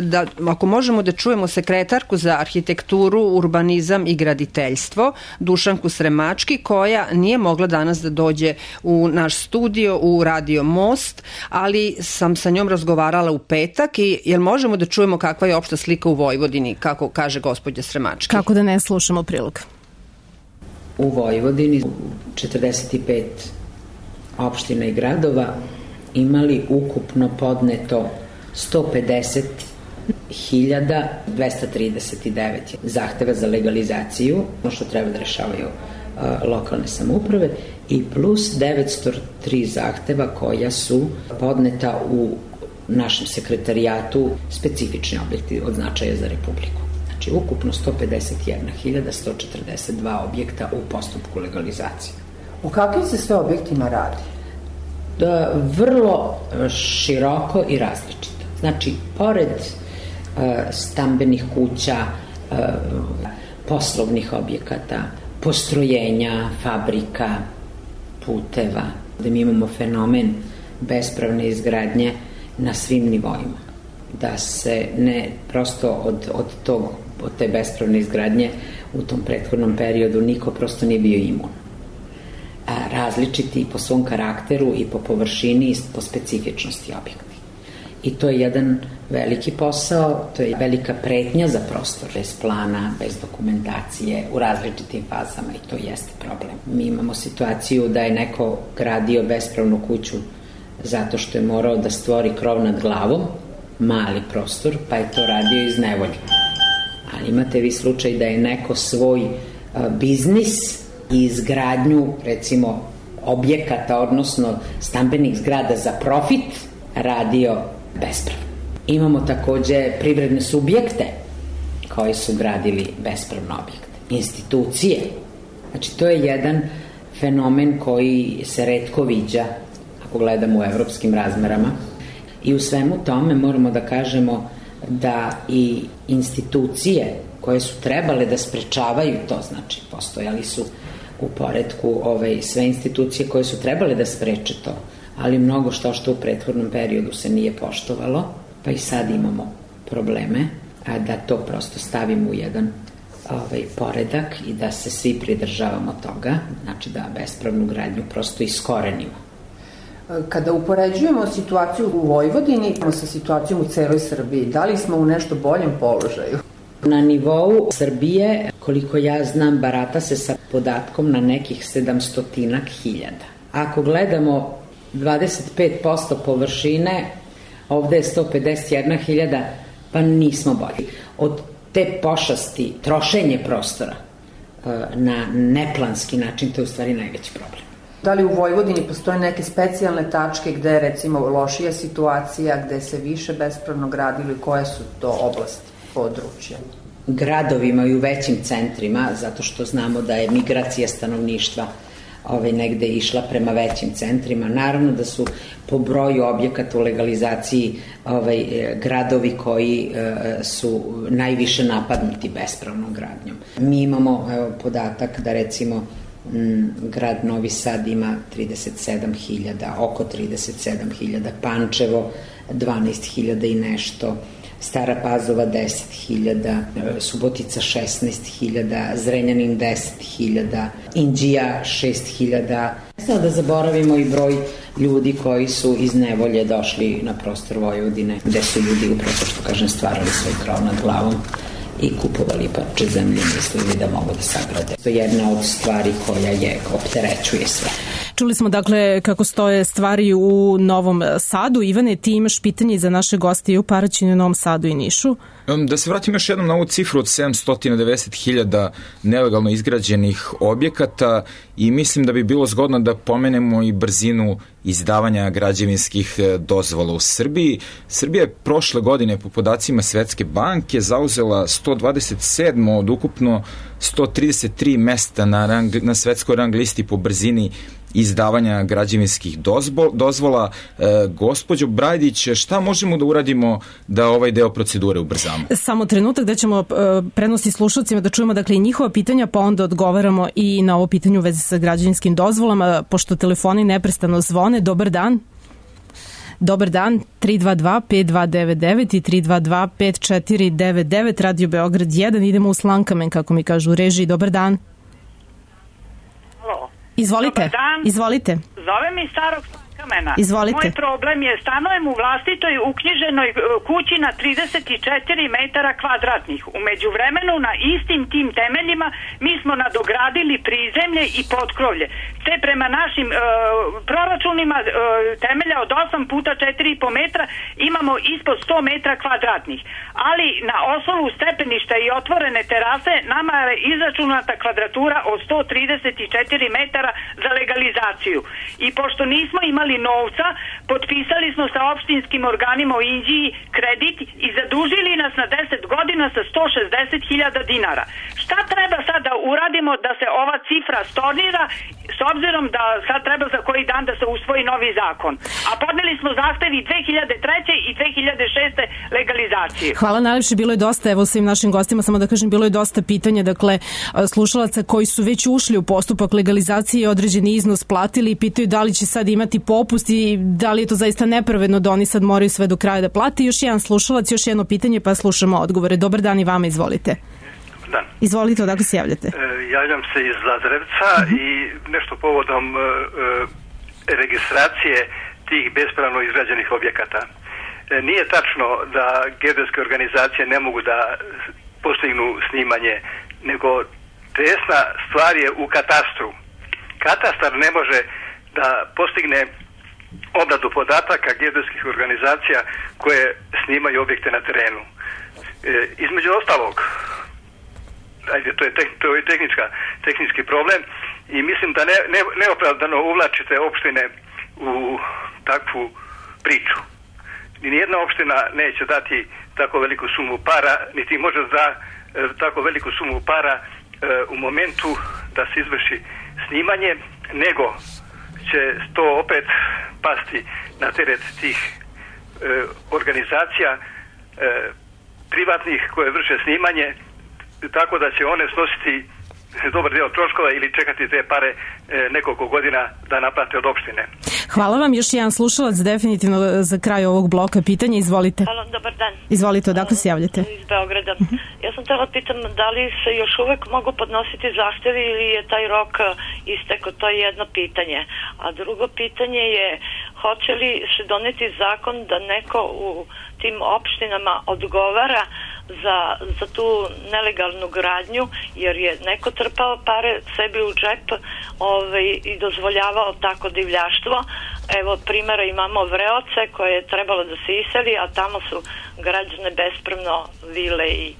da, ako možemo da čujemo sekretarku za arhitekturu, urbanizam i graditeljstvo, Dušanku Sremački, koja nije mogla danas da dođe u naš studio u Radio Most, ali sam sa njom razgovarala u petak i jel možemo da čujemo kakva je opšta slika u Vojvodini, kako kaže gospođa Sremački? Kako da ne slušamo prilog? U Vojvodini četrdeset pet opština i gradova imali ukupno podneto sto pedeset hiljada dvesta trideset devet zahteva za legalizaciju, ono što treba da rešavaju uh, lokalne samouprave, i plus devetsto tri zahteva koja su podneta u našem sekretarijatu specifični objekti od značaja za Republiku. Znači, ukupno sto pedeset jedna hiljada sto četrdeset dva objekta u postupku legalizacije. O kakvim se sve objektima radi? Da, vrlo široko i različito. Znači, pored stambenih kuća, poslovnih objekata, postrojenja, fabrika, puteva, da mi imamo fenomen bespravne izgradnje na svim nivoima. Da se ne prosto od, od, tog, od te bespravne izgradnje u tom prethodnom periodu niko prosto nije bio imun. A različiti po svom karakteru i po površini i po specifičnosti objekti. I to je jedan veliki posao, to je velika pretnja za prostor, bez plana, bez dokumentacije, u različitim fazama i to jeste problem. Mi imamo situaciju da je neko gradio bespravnu kuću zato što je morao da stvori krov nad glavom, mali prostor, pa je to radio iz nevolje. Ali imate vi slučaj da je neko svoj a, biznis i izgradnju, recimo, objekata, odnosno stambenih zgrada za profit, radio bespravno. Imamo takođe privredne subjekte koji su gradili bespravno objekte. Institucije. Znači, to je jedan fenomen koji se retko viđa, ako gledamo u evropskim razmerama. I u svemu tome moramo da kažemo da i institucije koje su trebale da sprečavaju to, znači postojali su u poretku ove, sve institucije koje su trebale da spreče to, ali mnogo što što u prethodnom periodu se nije poštovalo, pa i sad imamo probleme, a da to prosto stavimo u jedan ovaj, poredak i da se svi pridržavamo toga, znači da bespravnu gradnju prosto iskorenimo. Kada upoređujemo situaciju u Vojvodini sa situacijom u celoj Srbiji, da li smo u nešto boljem položaju? Na nivou Srbije, koliko ja znam, barata se sa podatkom na nekih sedamstotinak hiljada. Ako gledamo dvadeset pet posto površine, ovde je sto pedeset jedna hiljada, pa nismo bolji. Od te pošasti, trošenje prostora na neplanski način, to je u stvari najveći problem. Da li u Vojvodini postoje neke specijalne tačke gde je recimo lošija situacija, gde se više bespravno gradilo i koje su to oblasti, područja? Gradovima i u većim centrima, zato što znamo da je migracija stanovništva ovaj, negde išla prema većim centrima. Naravno da su po broju objekata u legalizaciji ovaj, gradovi koji e, su najviše napadnuti bespravnom gradnjom. Mi imamo evo, podatak da recimo m, grad Novi Sad ima trideset sedam hiljada, oko trideset sedam hiljada, Pančevo dvanaest hiljada i nešto, Stara Pazova deset hiljada, Subotica šesnaest hiljada, Zrenjanin deset hiljada, Inđija šest hiljada. Sada da zaboravimo i broj ljudi koji su iz nevolje došli na prostor Vojvodine, gde su ljudi upravo, što kažem, stvarali svoj krov nad glavom i kupovali parče zemlje, mislili da mogu da sagrade. To je jedna od stvari koja je opterećuje sve. Čuli smo dakle kako stoje stvari u Novom Sadu. Ivane, ti imaš pitanje za naše goste i u Paraćinu, Novom Sadu i Nišu. Da se vratim još jednom na ovu cifru od sedamsto devedeset hiljada nelegalno izgrađenih objekata i mislim da bi bilo zgodno da pomenemo i brzinu izdavanja građevinskih dozvola u Srbiji. Srbija je prošle godine po podacima Svetske banke zauzela sto dvadeset sedmo od ukupno sto trideset tri mesta na, rang, na svetskoj rang listi po brzini izdavanja građevinskih dozvo, dozvola. E, gospođo Brajdić, šta možemo da uradimo da ovaj deo procedure ubrzamo? Samo trenutak da ćemo e, prenosi slušalcima da čujemo dakle i njihova pitanja, pa onda odgovaramo i na ovo pitanje u vezi sa građevinskim dozvolama, pošto telefoni neprestano zvone. Dobar dan. Dobar dan, tri dva dva pet dva devet devet i tri dva dva pet četiri devet devet, Radio Beograd jedan, idemo u Slankamen, kako mi kažu u režiji. Dobar dan. Halo. Izvolite, Dobar dan. izvolite. Zove mi starog Slankamena. Izvolite. Moj problem je, stanujem u vlastitoj uknjiženoj kući na trideset četiri metara kvadratnih. Umeđu vremenu na istim tim temeljima mi smo nadogradili prizemlje i potkrovlje. Te prema našim e, proračunima e, temelja od osam puta četiri i po metra imamo ispod sto metra kvadratnih. Ali na osnovu stepeništa i otvorene terase nama je izračunata kvadratura od sto trideset četiri metara za legalizaciju. I pošto nismo imali novca, potpisali smo sa opštinskim organima u Inđiji kredit i zadužili nas na deset godina sa sto šezdeset hiljada dinara. Šta treba sad da uradimo da se ova cifra stornira s obzirom da sad treba za koji dan da se usvoji novi zakon. A podneli smo zahtevi dve hiljade treće. i dve hiljade šeste. legalizacije. Hvala najlepše, bilo je dosta, evo svim našim gostima, samo da kažem, bilo je dosta pitanja, dakle, slušalaca koji su već ušli u postupak legalizacije i određeni iznos platili i pitaju da li će sad imati popust i da li je to zaista nepravedno da oni sad moraju sve do kraja da plati. Još jedan slušalac, još jedno pitanje, pa slušamo odgovore. Dobar dan i vama, izvolite. Dan. Izvolite, odakle se javljate? E, javljam se iz Lazarevca uh-huh. i nešto povodom e, registracije tih bespravno izgrađenih objekata. E, nije tačno da geodetske organizacije ne mogu da postignu snimanje, nego tesna stvar je u katastru. Katastar ne može da postigne obradu podataka geodetskih organizacija koje snimaju objekte na terenu. E, između ostalog, ajde, to je, te, to je tehnička, tehnički problem i mislim da ne, ne, neopravdano uvlačite opštine u takvu priču. Nijedna opština neće dati tako veliku sumu para, niti može da e, tako veliku sumu para e, u momentu da se izvrši snimanje, nego će to opet pasti na teret tih e, organizacija e, privatnih koje vrše snimanje, tako da će one snositi dobar deo troškova ili čekati te pare e, nekoliko godina da naplate od opštine. Hvala vam, još jedan slušalac definitivno za kraj ovog bloka pitanja, izvolite. Halo, dobar dan. Izvolite, odakle se javljate? Iz Beograda. Ja sam htjela pitam da li se još uvek mogu podnositi zahtevi ili je taj rok isteko, to je jedno pitanje. A drugo pitanje je, hoće li se doneti zakon da neko u tim opštinama odgovara za, za tu nelegalnu gradnju, jer je neko trpao pare sebi u džep ovaj, i dozvoljavao tako divljaštvo. Evo primjera imamo Vreoce koje je trebalo da se iseli, a tamo su građane bespravno vile i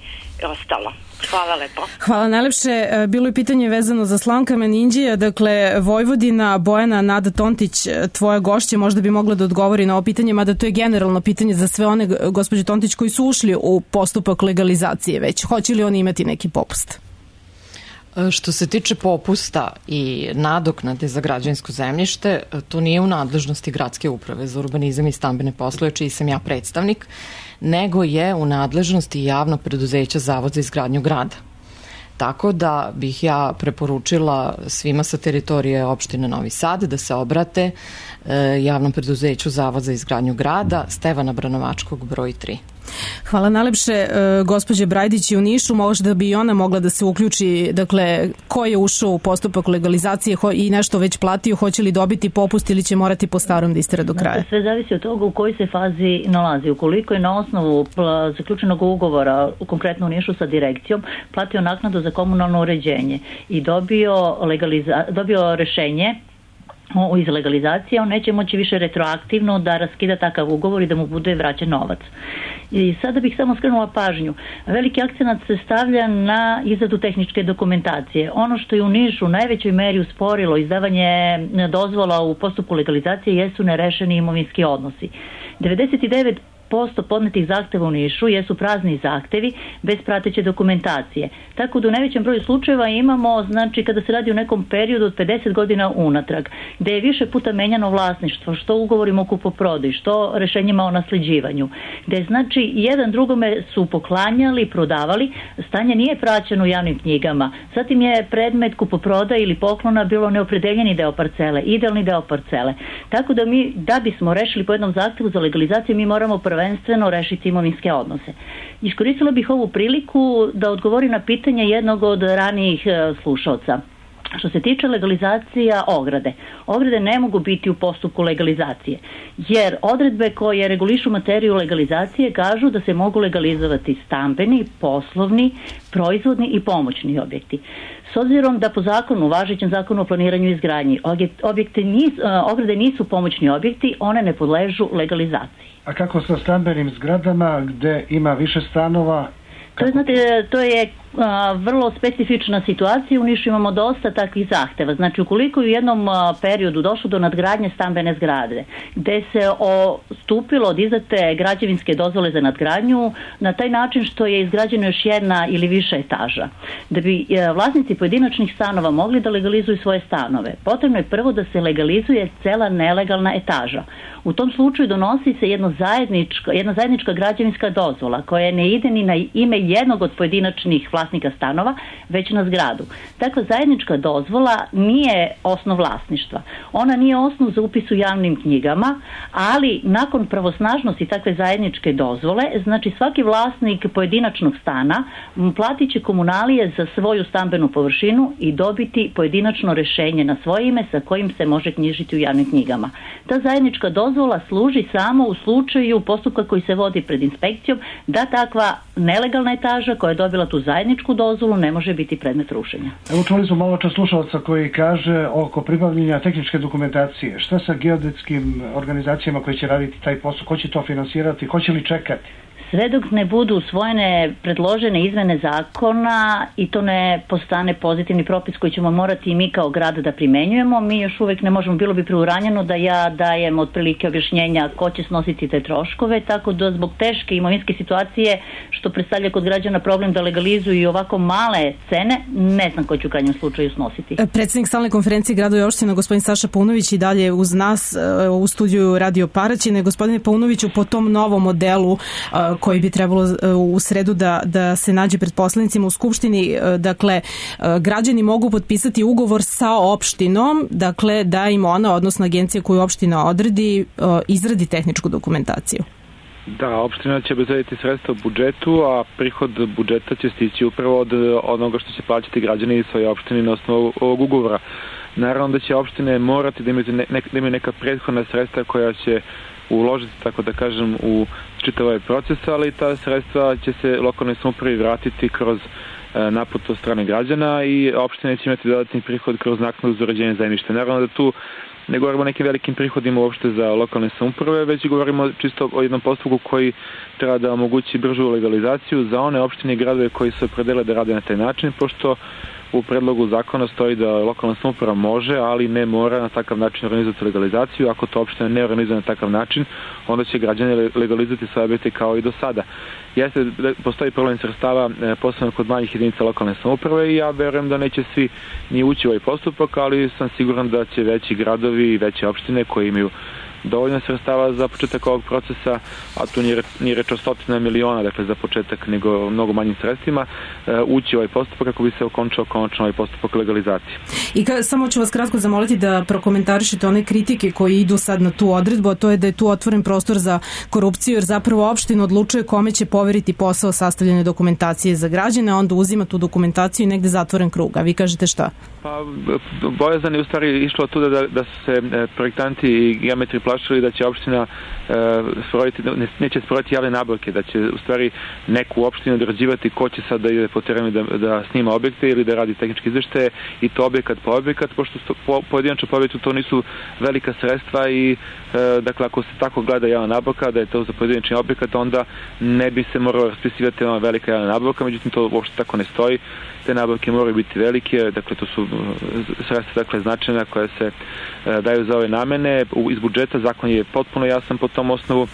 ostalo. Hvala lepo. Hvala najlepše. Bilo je pitanje vezano za Slankamen Inđija, dakle Vojvodina, Bojana, Nada Tontić, tvoja gošća, možda bi mogla da odgovori na ovo pitanje, mada to je generalno pitanje za sve one, gospođe Tontić, koji su ušli u postupak legalizacije već. Hoće li oni imati neki popust? Što se tiče popusta i nadoknade za građevinsko zemljište, to nije u nadležnosti Gradske uprave za urbanizam i stambene poslove, čiji sam ja predstavnik, nego je u nadležnosti javnog preduzeća Zavod za izgradnju grada. Tako da bih ja preporučila svima sa teritorije opštine Novi Sad da se obrate javnom preduzeću Zavod za izgradnju grada, Stevana Branovačkog, broj tri. Hvala najlepše, gospođe Brajdić, i u Nišu, možda bi i ona mogla da se uključi, dakle, ko je ušao u postupak legalizacije i nešto već platio, hoće li dobiti popust ili će morati po starom da istera do kraja? Znači, sve zavisi od toga u kojoj se fazi nalazi. Ukoliko je na osnovu zaključenog ugovora, konkretno u Nišu sa direkcijom, platio naknadu za komunalno uređenje i dobio, legaliza, dobio rešenje o iz legalizacije, on neće moći više retroaktivno da raskida takav ugovor i da mu bude vraćen novac. I sada bih samo skrenula pažnju. Veliki akcenat se stavlja na izradu tehničke dokumentacije. Ono što je u Nišu u najvećoj meri usporilo izdavanje dozvola u postupku legalizacije jesu nerešeni imovinski odnosi. devedeset devet posto podnetih zahteva u Nišu jesu prazni zahtevi bez prateće dokumentacije. Tako da u najvećem broju slučajeva imamo, znači kada se radi o nekom periodu od pedeset godina unatrag, gde je više puta menjano vlasništvo, što ugovorima o kupoprodaji, što rešenjima o nasleđivanju, gde znači jedan drugome su poklanjali, prodavali, stanje nije praćeno u javnim knjigama. Zatim je predmet kupoprodaje ili poklona bilo neopredeljeni deo parcele, idealni deo parcele. Tako da mi, da bismo rešili po jednom zahtevu za legalizaciju, mi moramo prvenstveno rešiti imovinske odnose. Iskoristila bih ovu priliku da odgovori na pitanje jednog od ranijih slušaoca. Što se tiče legalizacija ograde, ograde ne mogu biti u postupku legalizacije, jer odredbe koje regulišu materiju legalizacije kažu da se mogu legalizovati stambeni, poslovni, proizvodni i pomoćni objekti. S obzirom da po zakonu, važećem zakonu o planiranju i izgradnji, objekte nis, ograde nisu pomoćni objekti, one ne podležu legalizaciji. A kako sa stambenim zgradama gde ima više stanova? To je, znate, to je a, vrlo specifična situacija. U Nišu imamo dosta takvih zahteva. Znači, ukoliko je u jednom a, periodu došlo do nadgradnje stambene zgrade, gde se odstupilo od izdate građevinske dozvole za nadgradnju na taj način što je izgrađena još jedna ili više etaža. Da bi a, vlasnici pojedinačnih stanova mogli da legalizuju svoje stanove, potrebno je prvo da se legalizuje cela nelegalna etaža. U tom slučaju donosi se jedno zajednička, jedna zajednička građevinska dozvola koja ne ide ni na ime jednog od pojedinačnih vlasnika stanova, već na zgradu. Takva zajednička dozvola nije osnov vlasništva. Ona nije osnov za upis u javnim knjigama, ali nakon pravosnažnosti takve zajedničke dozvole, znači svaki vlasnik pojedinačnog stana platit će komunalije za svoju stambenu površinu i dobiti pojedinačno rešenje na svoje ime sa kojim se može knjižiti u javnim knjigama. Ta zajednička dozvola služi samo u slučaju postupka koji se vodi pred inspekcijom da takva nelegalna etaža koja je dobila tu zajedničku dozvolu ne može biti predmet rušenja. Evo čuli smo malo čas slušalca koji kaže oko pribavljanja tehničke dokumentacije. Šta sa geodetskim organizacijama koji će raditi taj posao? Ko će to finansirati? Ko će li čekati? Sve dok ne budu usvojene predložene izmene zakona i to ne postane pozitivni propis koji ćemo morati i mi kao grad da primenjujemo, mi još uvek ne možemo, bilo bi preuranjeno da ja dajem otprilike objašnjenja ko će snositi te troškove, tako da zbog teške imovinske situacije što predstavlja kod građana problem da legalizuju i ovako male cene, ne znam ko će u krajnjem slučaju snositi. Predsednik stalne konferencije gradova i opština, gospodin Saša Paunović, i dalje uz nas u studiju Radio Paraćine. Gospodine Paunoviću, po tom novom modelu koji bi trebalo u sredu da, da se nađe pred poslanicima u Skupštini, dakle, građani mogu potpisati ugovor sa opštinom, dakle, da im ona, odnosno agencija koju opština odredi, izradi tehničku dokumentaciju. Da, opština će obezbediti sredstva u budžetu, a prihod budžeta će stići upravo od onoga što će plaćati građani svoje opštine na osnovu ovog ugovora. Naravno da će opštine morati da imaju, ne, da imaju neka prethodna sredstva koja će uložiti, tako da kažem, u čitav ovaj proces, ali ta sredstva će se lokalnoj samoupravi vratiti kroz e, naplatu od strane građana i opštine će imati dodatni prihod kroz naknadu za uređenje zemljišta. Naravno da tu ne govorimo o nekim velikim prihodima uopšte za lokalne samouprave, već govorimo čisto o jednom postupku koji treba da omogući bržu legalizaciju za one opštine i gradove koji se opredele da rade na taj način, pošto u predlogu zakona stoji da lokalna samouprava može, ali ne mora na takav način organizovati legalizaciju. Ako to opština ne organizuje na takav način, onda će građani legalizovati svoje objekte kao i do sada. Jeste, postoji problem sredstava, posebno kod manjih jedinica lokalne samouprave i ja verujem da neće svi ni ući u ovaj postupak, ali sam siguran da će veći gradovi i veće opštine koji imaju dovoljno sredstava za početak ovog procesa, a tu nije, nije reč o stotina miliona, dakle za početak, nego mnogo manjim sredstvima, ući u ovaj postupak kako bi se okončao konačno ovaj postupak legalizacije. I ka, samo ću vas kratko zamoliti da prokomentarišete one kritike koje idu sad na tu odredbu, a to je da je tu otvoren prostor za korupciju, jer zapravo opština odlučuje kome će poveriti posao sastavljene dokumentacije za građane, a onda uzima tu dokumentaciju i negde zatvoren krug. A vi kažete šta? Pa, bojazan je u stvari išlo tu da, da su se projektanti i geometri plašili da će opština e, sprovoditi, ne, neće sprovoditi javne nabavke, da će u stvari neku opštinu određivati ko će sad da ide po terenu da, da snima objekte ili da radi tehničke izveštaje i to objekat po objekat, pošto po, pojedinačno po objektu to nisu velika sredstva i e, dakle ako se tako gleda javna nabavka da je to za pojedinačni objekat, onda ne bi se moralo raspisivati ona velika javna nabavka, međutim to uopšte tako ne stoji. Te nabavke moraju biti velike, dakle to su sredstva dakle značajna koja se e, daju za ove namene. U, iz budžeta zakon je potpuno jasan po tom osnovu.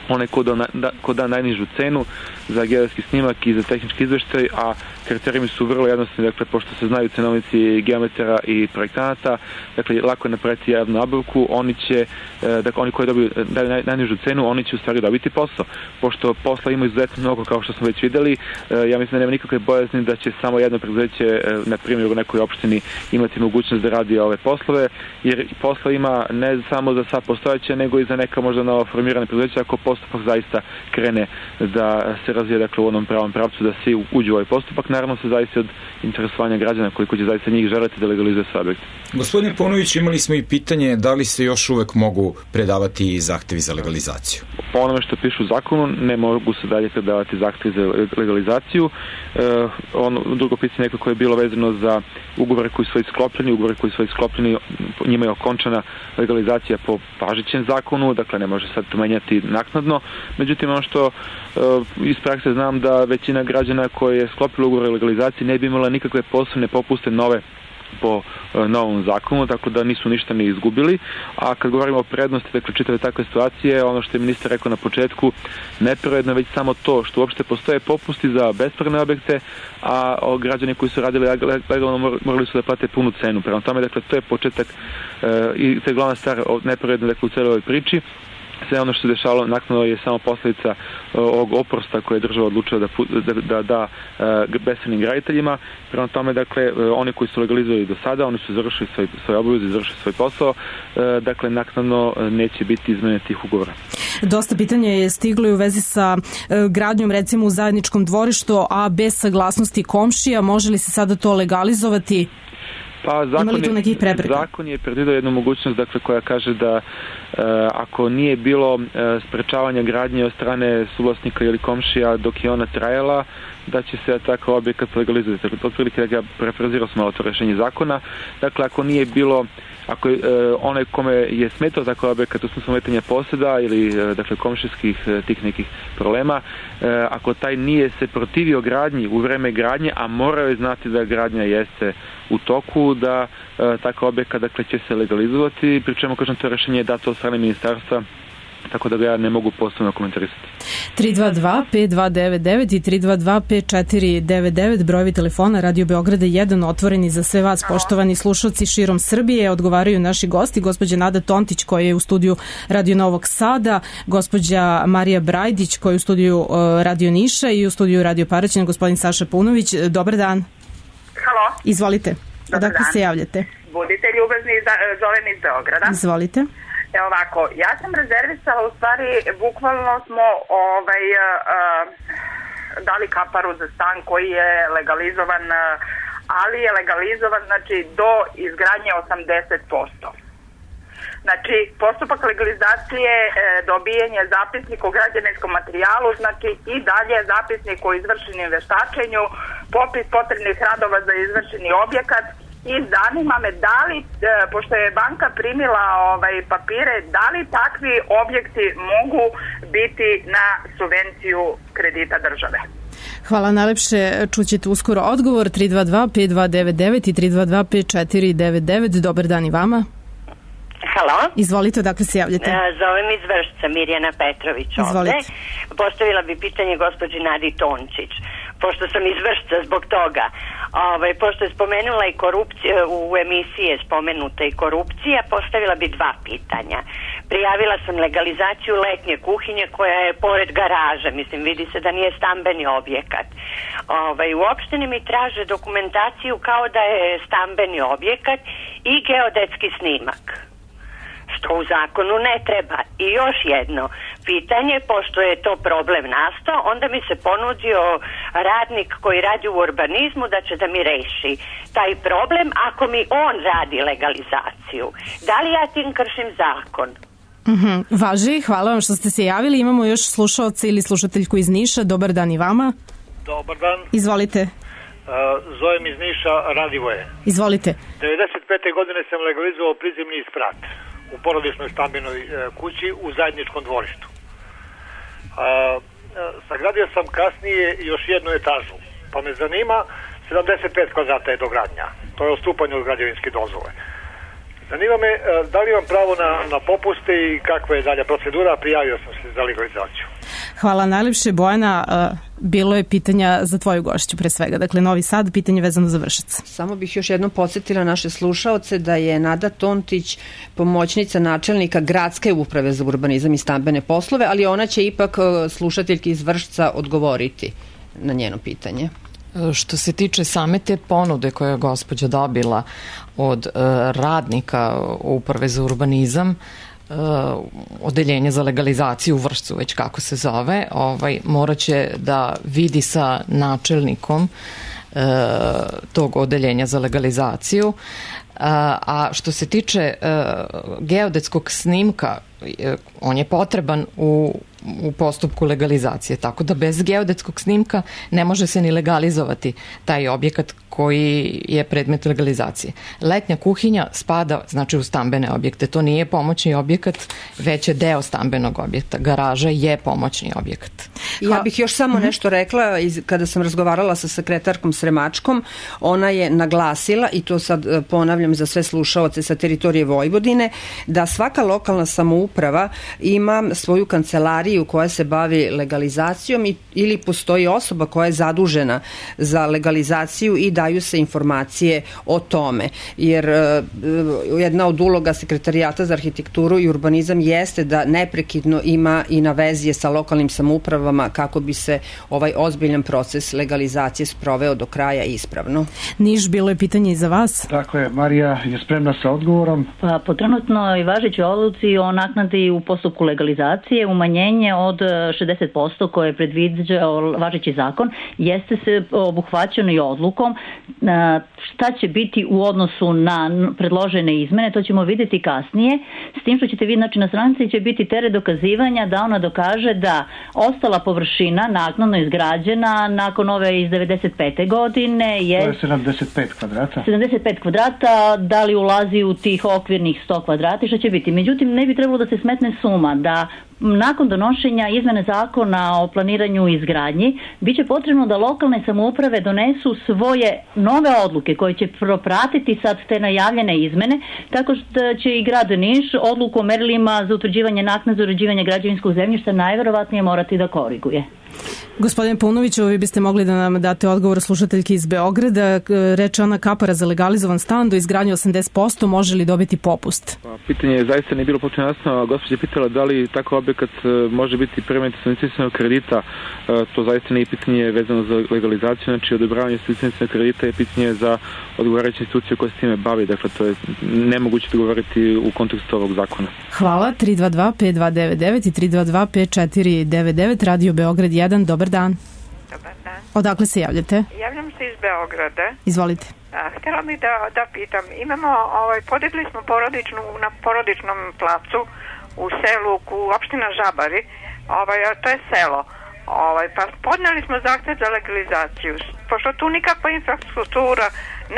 Onaj ko da, da, ko da najnižu cenu za geodetski snimak i za tehnički izveštaj, a kriterijumi su vrlo jednostavni, dakle, pošto se znaju cenovnici geometara i projektanata, dakle, lako je napraviti javnu nabavku, oni će, dakle, oni koji dobiju naj, najnižu cenu, oni će u stvari dobiti posao. Pošto posla ima izuzetno mnogo, kao što smo već videli, ja mislim da nema nikakve bojazni da će samo jedno preduzeće, na primjer u nekoj opštini, imati mogućnost da radi ove poslove, jer posla ima ne samo za sad postojeće, nego i za neka možda novo formirane preduzeća, ako postupak zaista krene da se razvije, dakle, u onom pravom pravcu, da svi uđu u ovaj postupak. Naravno se zavisi od interesovanja građana koliko će zaista njih želeti da legalizuje svoj objekt. Gospodine Paunović, imali smo i pitanje da li se još uvek mogu predavati zahtevi za legalizaciju? Po onome što piše u zakonu, ne mogu se dalje predavati zahtevi za legalizaciju. E, ono, drugo pitanje nekako je bilo vezano za ugovore koji su sklopljeni, ugovore koji su sklopljeni, njima je okončana legalizacija po važećem zakonu, dakle ne može sad menjati naknadno. naknadno. Međutim, ono što iz prakse znam da većina građana koje je sklopila ugovor o legalizaciji ne bi imala nikakve posebne popuste nove po novom zakonu, tako da nisu ništa ni izgubili. A kad govorimo o prednosti, dakle, čitave takve situacije, ono što je ministar rekao na početku, nepravedno već samo to što uopšte postoje popusti za bespravne objekte, a građani koji su radili legalno morali su da plate punu cenu. Prema tome, dakle, to je početak i to je glavna stvar nepravedno, dakle, u celoj ovoj priči. Sve ono što se dešavalo naknadno je samo posljedica ovog oprosta koje je država odlučila da da, da, da bespravnim graditeljima. Prema tome, dakle, oni koji su legalizovali do sada, oni su završili svoj, svoj obavez i završili svoj posao, dakle, naknadno neće biti izmene tih ugovora. Dosta pitanja je stiglo i u vezi sa gradnjom, recimo, u zajedničkom dvorištu, a bez saglasnosti komšija. Može li se sada to legalizovati? Pa zakon je, zakon je predvideo jednu mogućnost, dakle, koja kaže da e, ako nije bilo e, sprečavanja gradnje od strane suvlasnika ili komšija dok je ona trajala, da će se takav objekat legalizovati. Dakle, otprilike da ja prefrazirao sam malo to rešenje zakona. Dakle, ako nije bilo, ako je e, onaj kome je smetao takav objekat u smislu ometanja poseda ili e, dakle komšijskih e, tih nekih problema, e, ako taj nije se protivio gradnji u vreme gradnje, a morao je znati da gradnja jeste u toku, da e, takav objekat, dakle, će se legalizovati, pri čemu, kažem, to rešenje je dato od strane ministarstva, tako da ga ja ne mogu posebno komentarisati. tri dva dva pet dva devet devet i tri dva dva pet četiri devet devet, brojevi telefona Radio Beograda jedan otvoreni za sve vas, poštovani slušalci širom Srbije. Odgovaraju naši gosti, gospođa Nada Tontić koja je u studiju Radio Novog Sada, gospođa Marija Brajdić koja je u studiju Radio Niša i u studiju Radio Paraćina gospodin Saša Paunović. Dobar dan. Halo. Izvolite. Odakle se javljate? Budite ljubazni, zovem iz Beograda. Izvolite. Evo ovako, ja sam rezervisala, u stvari, bukvalno smo ovaj, uh, uh, dali kaparu za stan koji je legalizovan, uh, ali je legalizovan, znači, do izgradnje osamdeset posto. Znači, postupak legalizacije, e, dobijenje zapisnik o građevinskom materijalu, znači i dalje zapisnik o izvršenim veštačenju, popis potrebnih radova za izvršeni objekat. I zanima me da li, e, pošto je banka primila ovaj, papire, da li takvi objekti mogu biti na subvenciju kredita države? Hvala najlepše, čućete uskoro odgovor. Tri dva dva pet dva devet devet i tri dva dva pet četiri devet devet. Dobar dan i vama. Halo. Izvolite, odakle se javljate? Zovem iz Vršca, Mirjana Petrović ovde. Izvolite. Postavila bi pitanje gospođi Nadi Tončić, pošto sam iz Vršca zbog toga. Ovaj, pošto je spomenula i korupcija, u emisiji je spomenuta i korupcija, postavila bi dva pitanja. Prijavila sam legalizaciju letnje kuhinje koja je pored garaže, mislim, vidi se da nije stambeni objekat. Ovaj, u opštini mi traže dokumentaciju kao da je stambeni objekat i geodetski snimak, što u zakonu ne treba. I još jedno pitanje, pošto je to problem nastao, onda mi se ponudio radnik koji radi u urbanizmu da će da mi reši taj problem ako mi on radi legalizaciju. Da li ja tim kršim zakon? Mm-hmm. Važi, hvala vam što ste se javili. Imamo još slušaoca ili slušateljku iz Niša. Dobar dan i vama. Dobar dan. Izvolite. Uh, zovem iz Niša, Radivoje. Izvolite. devedeset pete godine sam legalizovao prizemni sprat u porodičnoj stambenoj uh, kući u zajedničkom dvorištu. Uh, uh, sagradio sam kasnije još jednu etažu, pa me zanima, sedamdeset pet kvadrata je dogradnja. To je odstupanje od građevinske dozvole. Zanima me, uh, da li imam pravo na, na popuste i kakva je dalja procedura, prijavio sam se za legalizaciju. Hvala najlepše, Bojana. Bilo je pitanja za tvoju gošću pre svega. Dakle, Novi Sad, pitanje vezano za Vršac. Samo bih još jednom podsjetila naše slušaoce da je Nada Tontić pomoćnica načelnika Gradske uprave za urbanizam i stambene poslove, ali ona će ipak slušateljki iz Vršca odgovoriti na njeno pitanje. Što se tiče same te ponude koje je gospođa dobila od uh, radnika uprave za urbanizam, Uh, odeljenje za legalizaciju u Vršcu, već kako se zove, ovaj, morat će da vidi sa načelnikom uh, tog odeljenja za legalizaciju. Uh, a što se tiče uh, geodetskog snimka, uh, on je potreban u u postupku legalizacije. Tako da bez geodetskog snimka ne može se ni legalizovati taj objekat koji je predmet legalizacije. Letnja kuhinja spada znači u stambene objekte. To nije pomoćni objekat, već je deo stambenog objekta. Garaža je pomoćni objekat. Ja bih još samo nešto rekla, kada sam razgovarala sa sekretarkom Sremačkom, ona je naglasila, i to sad ponavljam za sve slušaoce sa teritorije Vojvodine, da svaka lokalna samouprava ima svoju kancelariju koja se bavi legalizacijom i, ili postoji osoba koja je zadužena za legalizaciju i daju se informacije o tome. Jer uh, jedna od uloga Sekretarijata za arhitekturu i urbanizam jeste da neprekidno ima i na vezi sa lokalnim samoupravama kako bi se ovaj ozbiljan proces legalizacije sproveo do kraja ispravno. Niš, bilo je pitanje i za vas. Tako je, Marija je spremna sa odgovorom. Pa, po trenutnoj važećoj odluci o naknadi u postupku legalizacije umanjenje od šezdeset posto koje je predviđao važeći zakon jeste se obuhvaćeno i odlukom. Šta će biti u odnosu na predložene izmene, to ćemo vidjeti kasnije, s tim što ćete vidjeti, znači na stranici će biti teret dokazivanja da ona dokaže da ostala površina naknadno izgrađena nakon ove iz devedeset pete godine je... To je sedamdeset pet kvadrata. sedamdeset pet kvadrata, da li ulazi u tih okvirnih sto kvadrata i što će biti. Međutim, ne bi trebalo da se smetne suma da nakon donošenja izmene zakona o planiranju i izgradnji bit će potrebno da lokalne samouprave donesu svoje nove odluke koje će propratiti sad te najavljene izmene, tako što će i grad Niš odluku o merilima za utvrđivanje naknade za uređivanje građevinskog zemljišta najverovatnije morati da koriguje. Gospodine Paunoviću, vi biste mogli da nam date odgovor slušateljki iz Beograda. Reče ona kapara za legalizovan stan do izgradnje osamdeset posto, može li dobiti popust? Pa, pitanje je zaista nije bilo potpuno jasno. Gospođa je pitala da li takav objekat može biti predmet subvencionisanog kredita. To zaista nije pitanje vezano za legalizaciju, znači odobravanje subvencionisanog kredita je pitanje za odgovarajuće institucije koje se time bavi. Dakle, to je nemoguće dogovoriti u kontekstu ovog zakona. Hvala. tri dva dva pet dva devet devet i tri dva dva pet četiri devet devet, Radio Beograd jedan, dobar dan. Dobar dan. Odakle se javljate? Javljam se iz Beograda. Izvolite. A, htjela bih da, da pitam, imamo, ovaj, podigli smo porodičnu, na porodičnom placu u selu, u opština Žabari, ovaj, to je selo, ovaj, pa podneli smo zahtev za legalizaciju, pošto tu nikakva infrastruktura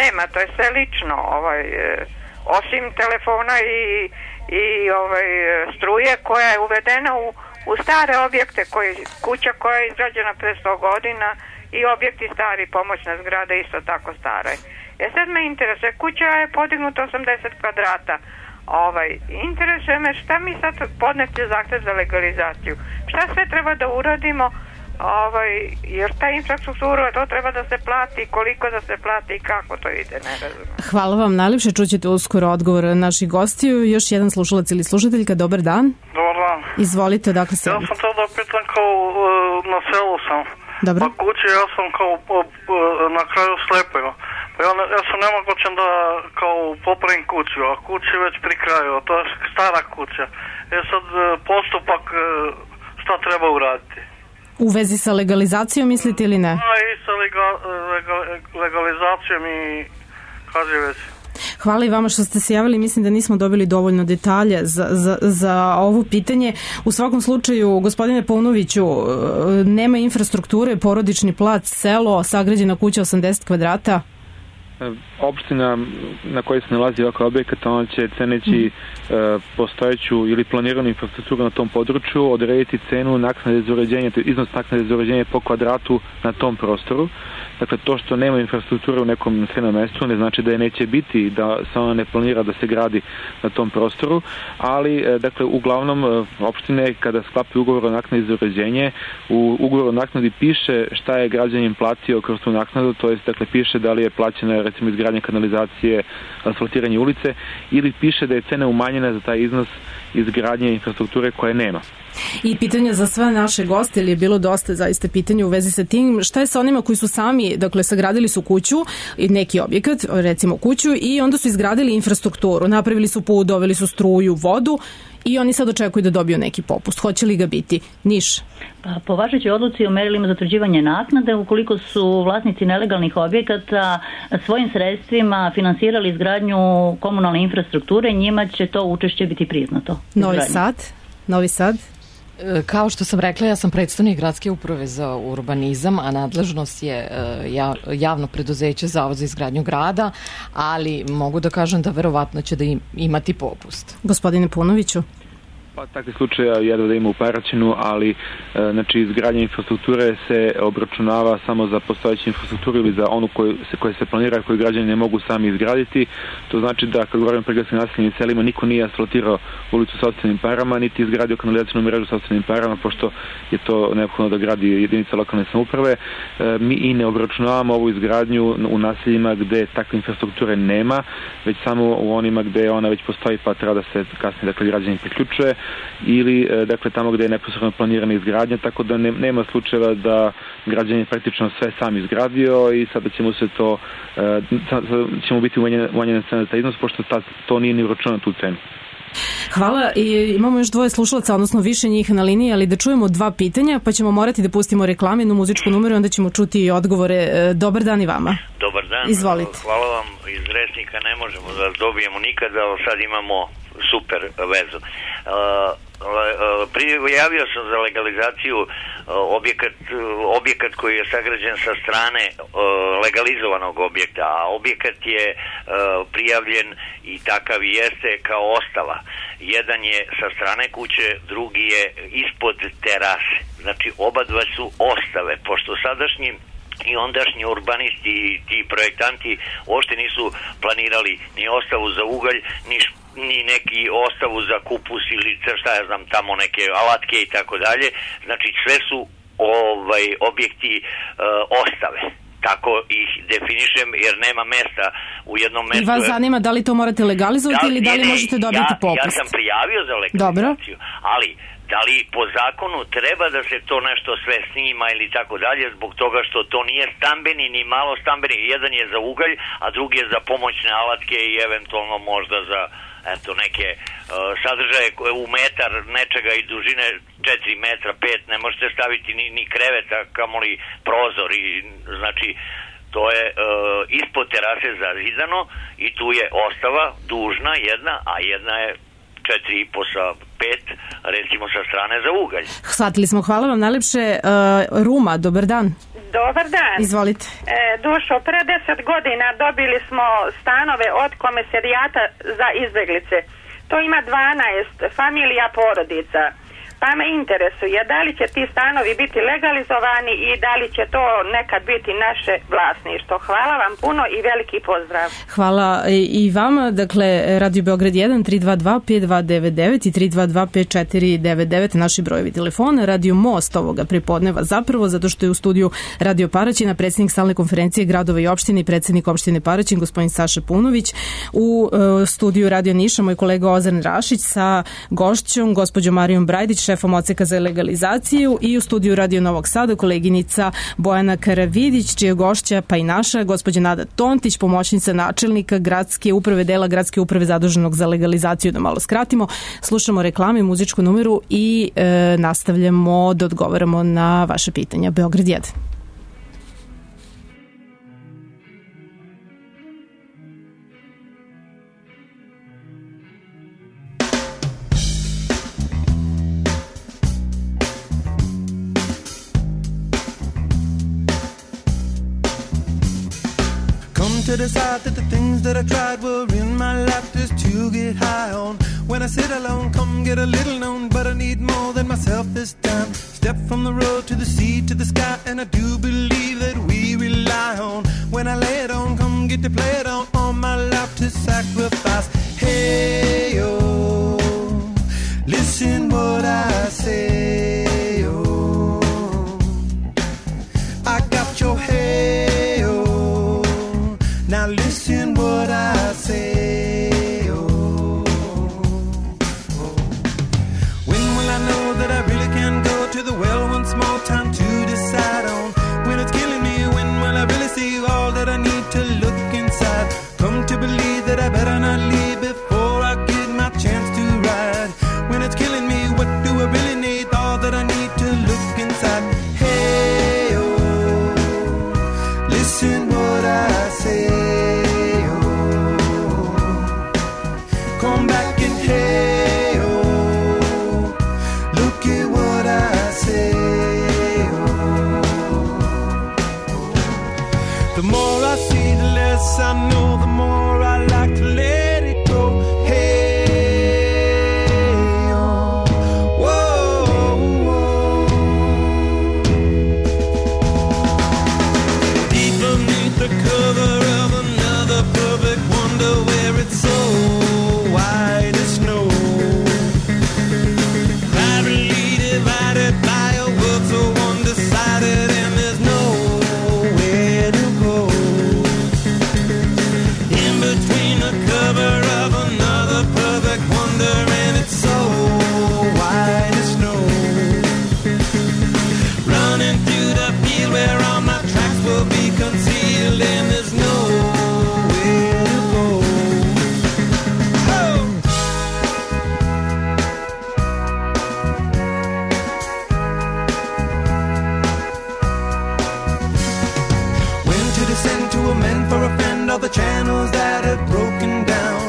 nema, to je selično, ovaj, osim telefona i, i ovaj, struje koja je uvedena u u stare objekte, koji, kuća koja je izgrađena pre sto godina i objekti stari, pomoćna zgrada isto tako stara. E sad me interesuje, kuća je podignuta osamdeset kvadrata. Ovaj, interesuje me šta mi sad podnete zahtev za legalizaciju. Šta sve treba da uradimo, ovaj, jer ta infrastruktura, to treba da se plati, koliko da se plati i kako to ide, ne razumijem. Hvala vam najljepše, čućete uskoro odgovor naših gostiju. Još jedan slušalac ili slušateljka, dobar dan. Dobar dan. Izvolite, dakle se... Ja sam tada pitan kao na selu sam. Dobro. Pa kući ja sam kao na kraju slepio. Pa ja, ja sam nemogućen da kao popravim kuću, a kući već pri kraju, to je stara kuća. Je sad postupak šta treba uraditi. U vezi sa legalizacijom mislite ili ne? A i sa lega, lega, legalizacijom i kaže već. Hvala i vama što ste se javili, mislim da nismo dobili dovoljno detalja za, za, za ovo pitanje. U svakom slučaju, gospodine Paunoviću, nema infrastrukture, porodični plac, selo, sagrađena kuća osamdeset kvadrata? Opština na kojoj se nalazi ovakav objekat, ona će ceneći mm. e, postojeću ili planiranu infrastrukturu na tom području odrediti cenu naknade za uređenje, iznos naknade za uređenje po kvadratu na tom prostoru. Dakle, to što nema infrastrukture u nekom naseljenom mestu ne znači da je neće biti, da se ona ne planira da se gradi na tom prostoru, ali, dakle, uglavnom opštine kada sklapaju ugovor o naknadi za uređenje, u ugovoru o naknadi piše šta je građanin platio kroz tu naknadu, to jest, dakle, piše da li je plaćena, recimo, izgradnja kanalizacije, asfaltiranje ulice, ili piše da je cena umanjena za taj iznos izgradnje infrastrukture koje nema. I pitanje za sve naše goste, ili je bilo dosta zaista pitanja u vezi sa tim, šta je sa onima koji su sami, dakle, sagradili su kuću, neki objekat, recimo kuću, i onda su izgradili infrastrukturu, napravili su put, doveli su struju, vodu, i oni sad očekuju da dobiju neki popust. Hoće li ga biti? Niš? Pa, po važećoj odluci o merilima za utvrđivanje naknade, ukoliko su vlasnici nelegalnih objekata svojim sredstvima finansirali izgradnju komunalne infrastrukture, njima će to učešće biti priznato. Novi Sad? Novi Sad? Kao što sam rekla, ja sam predstavnik Gradske uprave za urbanizam, a nadležnost je javno preduzeće Zavod za izgradnju grada, ali mogu da kažem da verovatno će da im, imati popust. Gospodine Punoviću? Pa takve slučaja jedva da ima u Paraćinu, ali e, znači izgradnja infrastrukture se obračunava samo za postojeću infrastrukturu ili za onu koju se, koja se planira, koju građani ne mogu sami izgraditi. To znači da kad govorimo o prigradskim naseljenim selima, niko nije asfaltirao ulicu sopstvenim parama, niti izgradio kanalizacijnu mrežu sopstvenim parama, pošto je to neophodno da gradi jedinica lokalne samouprave. E, mi i ne obračunavamo ovu izgradnju u naseljima gde takve infrastrukture nema, već samo u onima gde ona već postoji pa treba da se kasnije dakle, građani priključuje, ili dakle tamo gde je neposredno planirana izgradnja, tako da ne, nema slučajeva da građanin je praktično sve sam izgradio i sada ćemo se to sada ćemo biti umanjena cena za taj iznos, pošto ta, to nije ni uračunano tu cenu. Hvala, i imamo još dvoje slušalaca, odnosno više njih na liniji, ali da čujemo dva pitanja, pa ćemo morati da pustimo reklame, jednu muzičku numeru, onda ćemo čuti i odgovore. Dobar dan i vama. Dobar dan. Izvolite. Hvala vam, iz Resnika ne možemo da dobijemo nikada, ali sad imamo super vezu. Prijavio sam za legalizaciju objekat, objekat koji je sagrađen sa strane legalizovanog objekta, a objekat je prijavljen i takav jeste kao ostala. Jedan je sa strane kuće, drugi je ispod terase. Znači oba dva su ostave, pošto sadašnji i ondašnji urbanisti i ti projektanti uopšte nisu planirali ni ostavu za ugalj, ni ni neki ostavu za kupus ili šta ja znam tamo neke alatke i tako dalje. Znači sve su ovaj objekti e, ostave. Tako ih definišem jer nema mesta u jednom mestu. I vas zanima da li to morate legalizovati da, ili da li ne, možete dobiti ja, popust? Ja sam prijavio za legalizaciju, Dobro. ali da li po zakonu treba da se to nešto sve snima ili tako dalje, zbog toga što to nije stambeni ni malo stambeni. Jedan je za ugalj, a drugi je za pomoćne alatke i eventualno možda za eto neke uh, sadržaje koje u metar nečega i dužine četiri metra, pet, ne možete staviti ni, ni kreveta, kamoli prozor i znači to je uh, ispod terase zazidano i tu je ostava dužna jedna, a jedna je četiri i po sa pet, recimo sa strane za ugalj. Shvatili smo, hvala vam najlepše. Uh, Ruma, dobar dan. Dobar dan. Izvolite. E, Dušo, pre deset godina dobili smo stanove od Komesarijata za izbeglice. To ima dvanaest familija porodica. Pa me interesuje da li će ti stanovi biti legalizovani i da li će to nekad biti naše vlasništvo. Hvala vam puno i veliki pozdrav. Hvala i vama. Dakle, Radio Beograd jedan, tri dva dva, pet dva devet devet i tri dva dva, pet četiri devet devet naši brojevi telefona. Radio Most ovoga prepodneva zapravo, zato što je u studiju Radio Paraćina predsjednik stalne konferencije gradova i opštine i predsjednik opštine Paraćin, gospodin Saša Punović. U uh, studiju Radio Niša moj kolega Ozan Rašić sa gošćom, gospođom Marijom Brajdić, šefom odseka za legalizaciju, i u studiju Radio Novog Sada koleginica Bojana Karavidić, čija gošća pa i naša gospođa Nada Tontić, pomoćnica načelnika gradske uprave, dela gradske uprave zaduženog za legalizaciju, da malo skratimo. Slušamo reklame, muzičku numeru i e, nastavljamo da odgovaramo na vaše pitanja. Beograd jedan. To decide that the things that I tried were in my lap just to get high on. When I sit alone, come get a little known, but I need more than myself this time. Step from the road to the sea to the sky, and I do believe that we rely on. When I lay it on, come get to play it on, on my lap to sacrifice. Hey, oh, listen what I say, oh, I got your hey. Now listen what I say, oh, oh. When will I know that I really can go to the well once more? Time to decide on when it's killing me. When will I really see all that I need to look inside? so white as snow. Privately divided by a world so undecided, and there's nowhere to go. In between the cover of another perfect wonder, and it's so white as snow. Running through the field where all my tracks will be concealed, and there's nowhere to go. Oh! When to descend to amend for a friend all the channels that have broken down.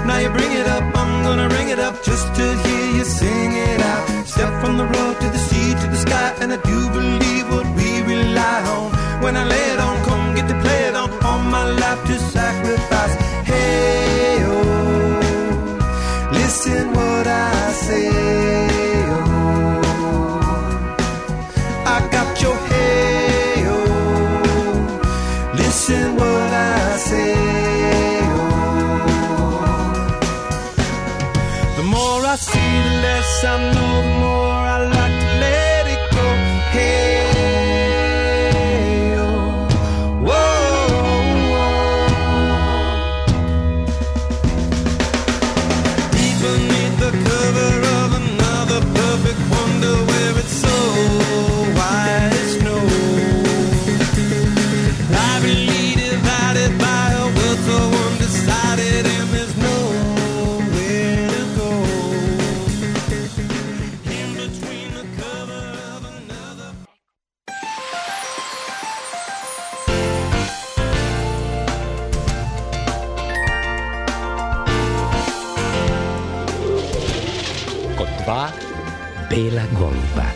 Now you bring it up, I'm gonna ring it up just to hear you sing it out. Step from the road to the sea to the sky, and I do believe what we rely on. When I lay it on, come get to play it on. All my life to sacrifice. Hey, oh, listen what I say. Oh, I got your hey, oh, listen what I say. The more I see, the less I know, the more I like to let it go. Hey, oh, whoa, deep beneath the cover of another perfect wonder, where it's so white as snow. Privately divided by a world so undecided, and there's nowhere to go. In between the cover of another. Kod dva bela goluba.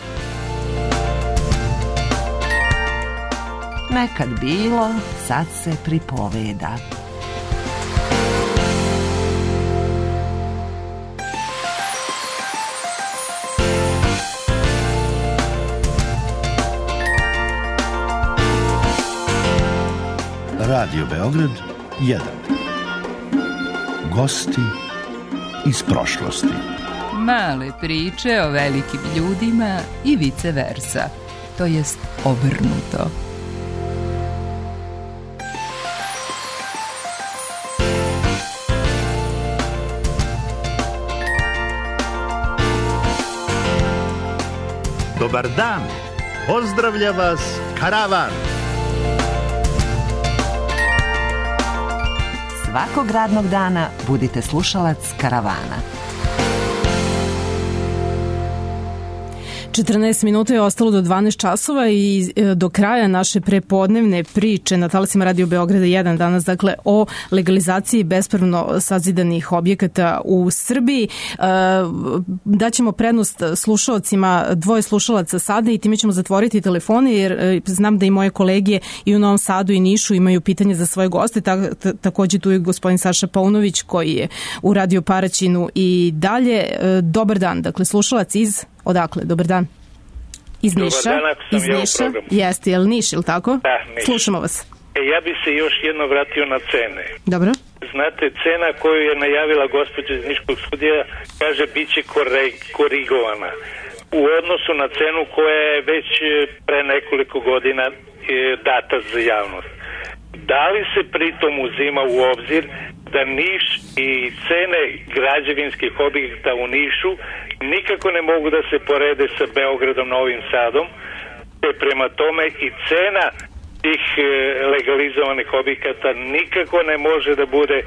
Nekad bilo, sad se pripoveda. Radio Beograd jedan. Gosti iz prošlosti. Male priče o velikim ljudima i vice versa, to jest obrnuto. Dobar dan, pozdravlja vas Karavan. Svakog radnog dana budite slušalac Karavana. četrnaest minuta je ostalo do dvanaest časova i do kraja naše prepodnevne priče na talasima Radio Beograda jedan danas, dakle, o legalizaciji bespravno sazidanih objekata u Srbiji. Daćemo prednost slušalcima, dvoje slušalaca sada, i time ćemo zatvoriti telefone, jer znam da i moje kolege i u Novom Sadu i Nišu imaju pitanje za svoje goste. Takođe tu je gospodin Saša Paunović koji je u Radio Paraćinu i dalje. Dobar dan, dakle, slušalac iz... Odakle? Dobar dan. Iz Niša? Dobar dan, ako sam iz ja Niša. u programu. Jeste, je li Niš, ili tako? Da, Niš. Slušamo vas. E, ja bi se još jedno vratio na cene. Dobro. Znate, cena koju je najavila gospođa iz Niškog studija, kaže, bit će korigovana u odnosu na cenu koja je već pre nekoliko godina data za javnost. Da li se pritom uzima u obzir da Niš i cene građevinskih objekta u Nišu nikako ne mogu da se porede sa Beogradom, Novim Sadom, te prema tome i cena tih legalizovanih objekata nikako ne može da bude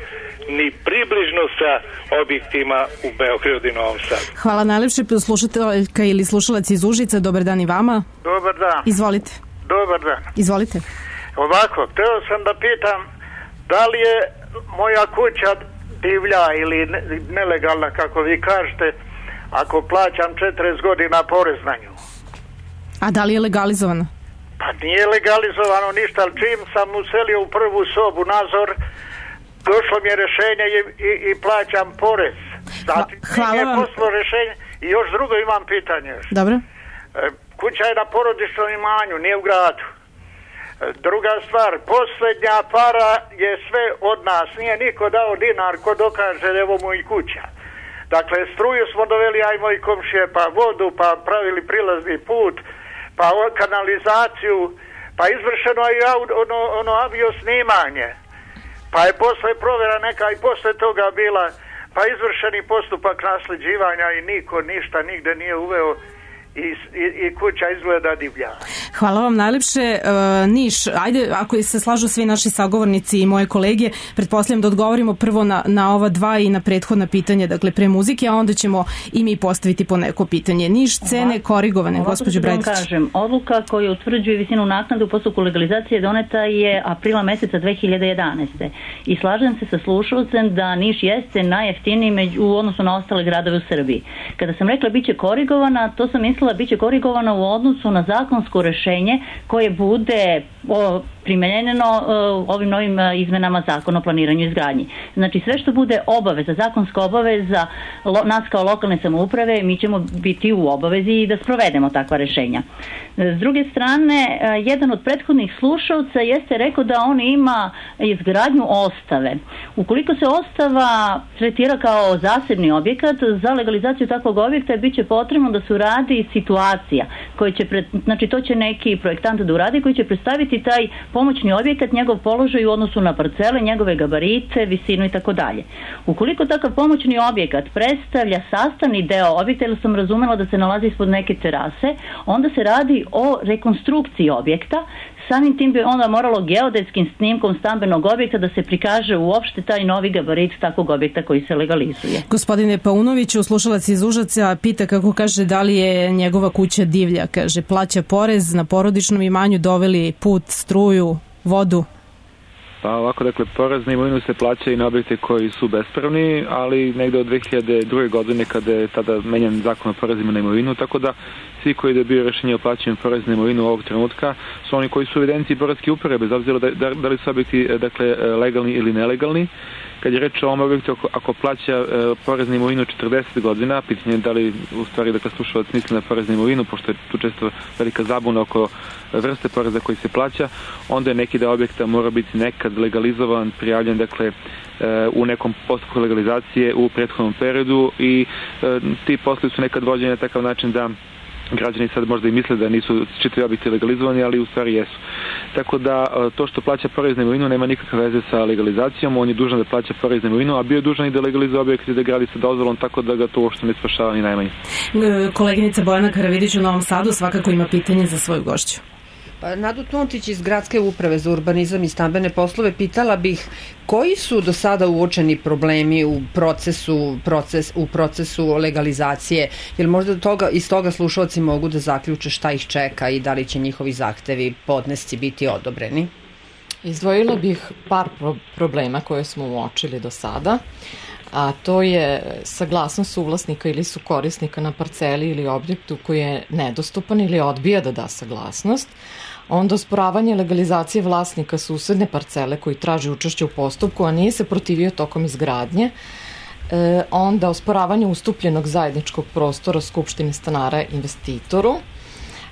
ni približno sa objektima u Beogradu i Novom Sadu. Hvala najlepše, slušateljka ili slušalac iz Užica. Dobar dan i vama. Dobar dan. Izvolite. Dobar dan. Izvolite. Ovako, hteo sam da pitam da li je moja kuća divlja ili nelegalna, kako vi kažete, ako plaćam četrdeset godina porez na nju. A da li je legalizovana? Pa nije legalizovano ništa, ali čim sam uselio u prvu sobu nadzor, došlo mi je rešenje i, i, i plaćam porez. Znači, hvala vam. Poslo rešenje. I još drugo imam pitanje još. Dobro. E, kuća je na porodičnom imanju, nije u gradu. Druga stvar, posljednja para je sve od nas, nije niko dao dinar ko dokaže evo mu i kuća. Dakle, struju smo doveli, aj moji komšije, pa vodu, pa pravili prilazni put, pa kanalizaciju, pa izvršeno je ono, ono avio snimanje, pa je posle provjera neka i posle toga bila, pa izvršeni postupak nasljeđivanja i niko ništa nigde nije uveo. I, i, i kuća izgleda divlja. Hvala vam najlepše. Uh, Niš, ajde, ako se slažu svi naši sagovornici i moje kolege, pretpostavljam da odgovorimo prvo na, na ova dva i na prethodna pitanja, dakle pre muzike, a onda ćemo i mi postaviti po neko pitanje. Niš, cene korigovane, gospođo Brajdić. Ovako kažem, odluka koja utvrđuje visinu naknade u postupku legalizacije doneta je aprila meseca dve hiljade jedanaeste. I slažem se sa slušalcem da Niš jeste najjeftiniji među, u odnosu na ostale gradove u Srbiji. Kada sam rekla biće korigovana, to sam mislila biće korigovana u odnosu na zakonsko rešenje koje bude o, primenjeno o, ovim novim izmenama zakona o planiranju i izgradnji. Znači sve što bude obaveza, zakonska obaveza lo, nas kao lokalne samouprave, mi ćemo biti u obavezi i da sprovedemo takva rešenja. S druge strane, jedan od prethodnih slušalca jeste rekao da on ima izgradnju ostave. Ukoliko se ostava tretira kao zasebni objekat, za legalizaciju takvog objekta bit će potrebno da se uradi situacija koja će, pred, znači to će neki projektant da uradi koji će predstaviti taj pomoćni objekat, njegov položaj u odnosu na parcele, njegove gabarite, visinu i tako dalje. Ukoliko takav pomoćni objekat predstavlja sastavni deo objekta, ili sam razumela da se nalazi ispod neke terase, onda se radi o rekonstrukciji objekta. Samim tim bi onda moralo geodetskim snimkom stambenog objekta da se prikaže uopšte taj novi gabarit takvog objekta koji se legalizuje. Gospodine Paunoviću, slušalac iz Užica pita kako kaže da li je njegova kuća divlja. Kaže, plaća porez na porodičnom imanju, doveli put, struju, vodu. Pa ovako, dakle, porez na imovinu se plaća i na objekte koji su bespravni, ali negde od dve hiljade druge. godine kada je tada menjan zakon o porezima na imovinu, tako da svi koji dobiju rešenje o plaćanju poreza na imovinu ovog trenutka su oni koji su u evidenciji poreske uprave, bez obzira da, da, da li su objekti dakle, legalni ili nelegalni. Kad je reč o ovom objektu, ako, ako plaća e, porez na imovinu četrdeset godina, pitanje je da li u stvari dakle, slušalac misli na porez na imovinu, pošto je tu često velika zabuna oko vrste poreza koji se plaća, onda je neki deo objekta mora biti nekad legalizovan, prijavljen dakle, e, u nekom postupku legalizacije u prethodnom periodu i e, ti poslovi su nekad vođeni na takav način da građani sad možda i misle da nisu čitavi objekti legalizovani, ali u stvari jesu. Tako da to što plaća porez na imovinu nema nikakve veze sa legalizacijom, on je dužan da plaća porez na imovinu, a bio je dužan i da legalizuje objekt i da gradi sa dozvolom, tako da ga to uopšte ne spašava ni najmanje. Koleginica Bojana Karavidić u Novom Sadu svakako ima pitanje za svoju gošću. Nadu Tontić iz Gradske uprave za urbanizam i stambene poslove pitala bih koji su do sada uočeni problemi u procesu, proces, u procesu legalizacije, jer možda toga, iz toga slušalci mogu da zaključe šta ih čeka i da li će njihovi zahtevi, podnesci biti odobreni? Izdvojila bih par pro- problema koje smo uočili do sada, a to je saglasnost suvlasnika ili su korisnika na parceli ili objektu koji je nedostupan ili odbija da da saglasnost, onda osporavanje legalizacije vlasnika susedne parcele koji traži učešće u postupku, a nije se protivio tokom izgradnje, e, onda osporavanje ustupljenog zajedničkog prostora Skupštine stanara investitoru.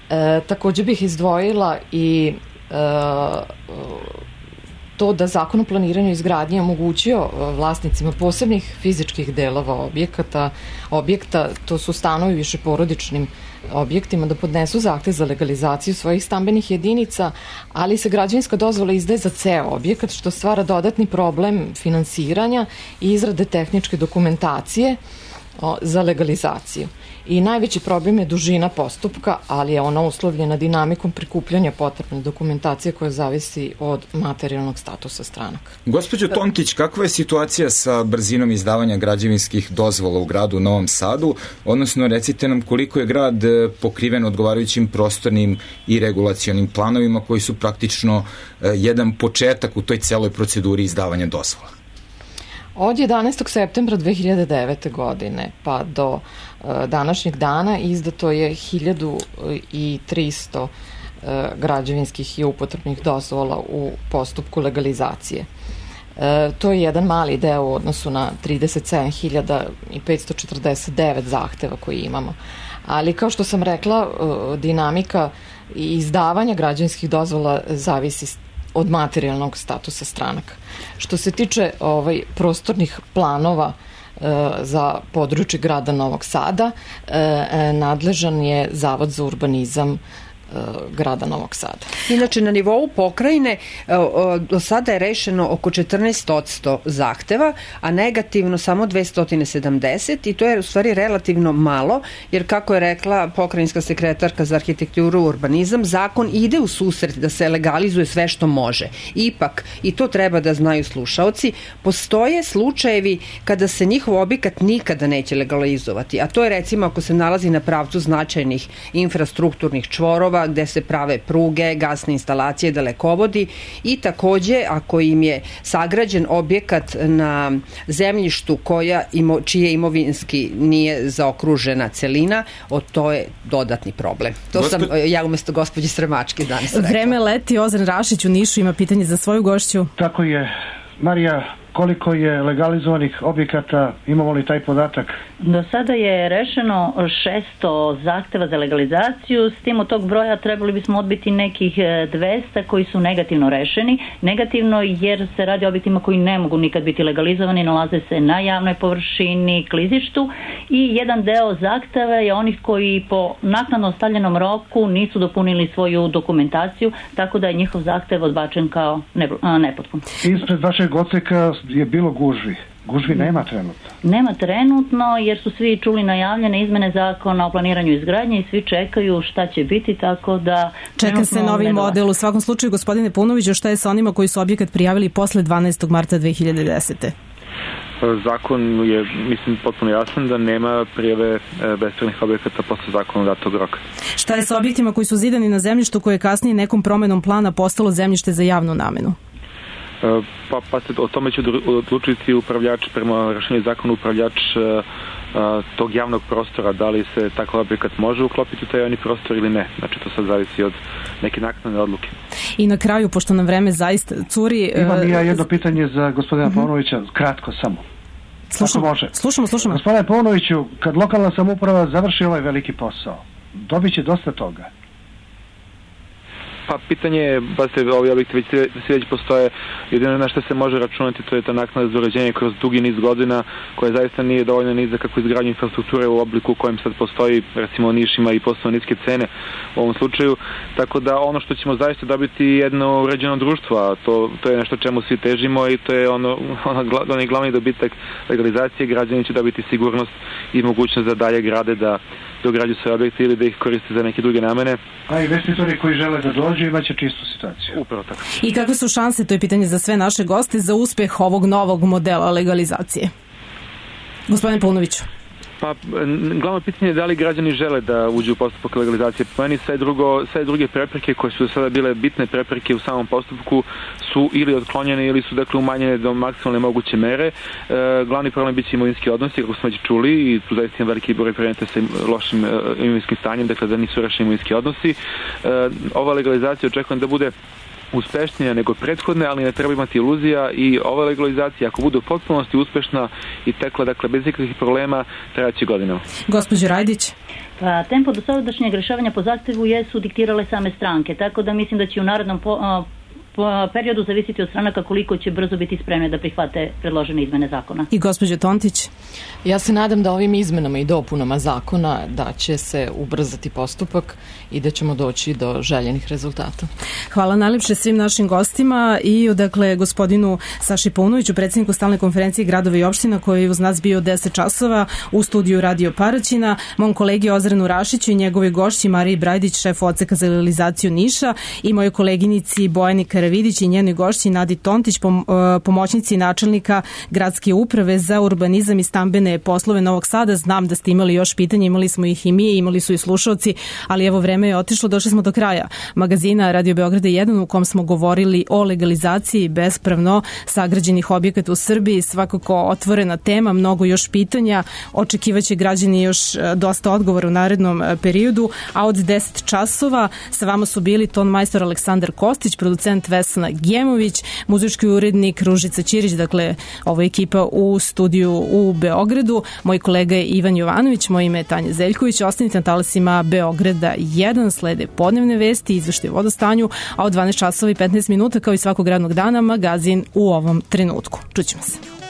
E, takođe bih izdvojila i e, to da zakon o planiranju izgradnje omogućio vlasnicima posebnih fizičkih delova objekata, objekta, to su stanovi višeporodičnim objektima, da podnesu zahtev za legalizaciju svojih stambenih jedinica, ali se građevinska dozvola izdaje za ceo objekat, što stvara dodatni problem finansiranja i izrade tehničke dokumentacije o, za legalizaciju. I najveći problem je dužina postupka, ali je ona uslovljena dinamikom prikupljanja potrebne dokumentacije koja zavisi od materijalnog statusa stranaka. Gospođo Tontić, kakva je situacija sa brzinom izdavanja građevinskih dozvola u gradu Novom Sadu, odnosno recite nam koliko je grad pokriven odgovarajućim prostornim i regulacionim planovima koji su praktično jedan početak u toj celoj proceduri izdavanja dozvola? Od jedanaestog septembra dve hiljade devete. godine pa do e, današnjeg dana izdato je hiljadu trista e, građevinskih i upotrebnih dozvola u postupku legalizacije. E, to je jedan mali deo u odnosu na trideset sedam hiljada petsto četrdeset devet zahteva koji imamo. Ali kao što sam rekla, e, dinamika i izdavanja građevinskih dozvola zavisi od materijalnog statusa stranaka. Što se tiče ovaj, prostornih planova e, za područje grada Novog Sada, e, nadležan je Zavod za urbanizam grada Novog Sada. Inače, na nivou pokrajine do sada je rešeno oko četrnaest posto zahteva, a negativno samo dvesta sedamdeset i to je u stvari relativno malo, jer kako je rekla pokrajinska sekretarka za arhitekturu i urbanizam, zakon ide u susret da se legalizuje sve što može. Ipak, i to treba da znaju slušaoci, postoje slučajevi kada se njihov objekat nikada neće legalizovati, a to je recimo ako se nalazi na pravcu značajnih infrastrukturnih čvorova, gde se prave pruge, gasne instalacije, dalekovodi i takođe ako im je sagrađen objekat na zemljištu koja imo, čije imovinski nije zaokružena celina, o to je dodatni problem. To Gospe... sam ja umesto gospođe Sremačke danas rekla. Vreme leti, Ozren Rašić u Nišu ima pitanje za svoju gošću. Tako je. Marija, koliko je legalizovanih objekata, imamo li taj podatak? Do sada je rešeno šesto zahteva za legalizaciju, s tim od tog broja trebali bismo odbiti nekih dvesta koji su negativno rešeni. Negativno jer se radi o objektima koji ne mogu nikad biti legalizovani, nalaze se na javnoj površini, klizištu i jedan deo zahteva je onih koji po naknadno ostavljenom roku nisu dopunili svoju dokumentaciju, tako da je njihov zahtev odbačen kao nepotpun. Ispred vašeg odseka je bilo gužvi. Gužvi nema trenutno. Nema trenutno jer su svi čuli najavljene izmene zakona o planiranju izgradnje i svi čekaju šta će biti, tako da... Čeka se novi model. U svakom slučaju, gospodine Paunoviću, šta je sa onima koji su objekat prijavili posle dvanaestog marta dve hiljade desete. Zakon je, mislim, potpuno jasan da nema prijave bespravnih objekata posle zakona datog roka. Šta je sa objektima koji su zidani na zemljištu koje je kasnije nekom promenom plana postalo zemljište za javnu namenu? Pa, pa se o tome će odlučiti upravljač, prema rešenju zakona upravljač uh, tog javnog prostora, da li se takav objekat može uklopiti u taj javni prostor ili ne. Znači to sad zavisi od neke naknadne odluke. I na kraju, pošto nam vreme zaista curi... Imam ja jedno pitanje za gospodina uh-huh. Paunovića, kratko samo. Slušamo, može. slušamo, slušamo. Gospodine Paunoviću, kad lokalna samouprava završi ovaj veliki posao, dobit će dosta toga. Pa pitanje je, pa se ovi objekti već, već postoje, jedino na što se može računati, to je ta naknada za uređenje kroz dugi niz godina, koja zaista nije dovoljno niza kako izgradnju infrastrukture u obliku u kojem sad postoji, recimo Niš ima i posebno niske cene u ovom slučaju, tako da ono što ćemo zaista dobiti je jedno uređeno društvo, a to, to je nešto čemu svi težimo i to je ono, ono, onaj glavni dobitak legalizacije, građani će dobiti sigurnost i mogućnost da dalje grade, da dograđuju svoje objekte ili da ih koriste za neke druge namene. A investitori koji žele da dođu imaće čistu situaciju. Upravo tako. I kakve su šanse, to je pitanje za sve naše goste, za uspeh ovog novog modela legalizacije? Gospodine Paunoviću. Pa, glavno pitanje je da li građani žele da uđu u postupak legalizacije. Po meni sve, drugo, sve druge prepreke koje su do sada bile bitne prepreke u samom postupku su ili otklonjene ili su dakle umanjene do maksimalne moguće mere. E, glavni problem biće imovinski odnosi, kako smo već čuli, i tu zaista ima veliki broj predmeta sa lošim e, imovinskim stanjem, dakle da nisu rešeni imovinski odnosi. E, ova legalizacija očekujem da bude uspešnija nego prethodne, ali ne treba imati iluzija i ova legalizacija, ako bude u potpunosti uspešna i tekla, dakle, bez ikakvih problema, trajaće godinama. Gospođo Rajdić? Pa, tempo do sadašnjeg rešavanja po zahtevu jesu diktirale same stranke, tako da mislim da će u narednom po, a, po periodu zavisiti od stranaka koliko će brzo biti spremne da prihvate predložene izmene zakona. I gospođo Tontić? Ja se nadam da ovim izmenama i dopunama zakona da će se ubrzati postupak i da ćemo doći do željenih rezultata. Hvala najlepše svim našim gostima i odakle gospodinu Saši Paunoviću, predsjedniku stalne konferencije gradova i opština koji je uz nas bio deset časova u studiju Radio Paraćina, mom kolegi Ozrenu Rašiću i njegovoj gošći Mariji Brajdić, šefu odseka za legalizaciju Niša, i mojoj koleginici Bojani Karavidić i njenoj gošći Nadi Tontić, pom, pomoćnici načelnika Gradske uprave za urbanizam i stambene poslove Novog Sada. Znam da ste imali još pitanja, imali smo ih i mi, imali su i slušalci, ali evo vreme je otišlo, došli smo do kraja magazina Radio Beograda jedan u kom smo govorili o legalizaciji bespravno sagrađenih objekata u Srbiji. Svakako otvorena tema, mnogo još pitanja, očekivaće građani još dosta odgovora u narednom periodu, a od deset časova sa vama su bili ton majstor Aleksandar Kostić, producent Vesna Gemović, muzički urednik Ružica Ćirić, dakle ovo je ekipa u studiju u Beogradu, moj kolega je Ivan Jovanović, moje ime je Tanja Zeljković, ostanite na talasima Beograda jedan, slede podnevne vesti, izveštaj o vodostanju, a od dvanaest časova i petnaest minuta kao i svakog radnog dana magazin u ovom trenutku. Čućemo se.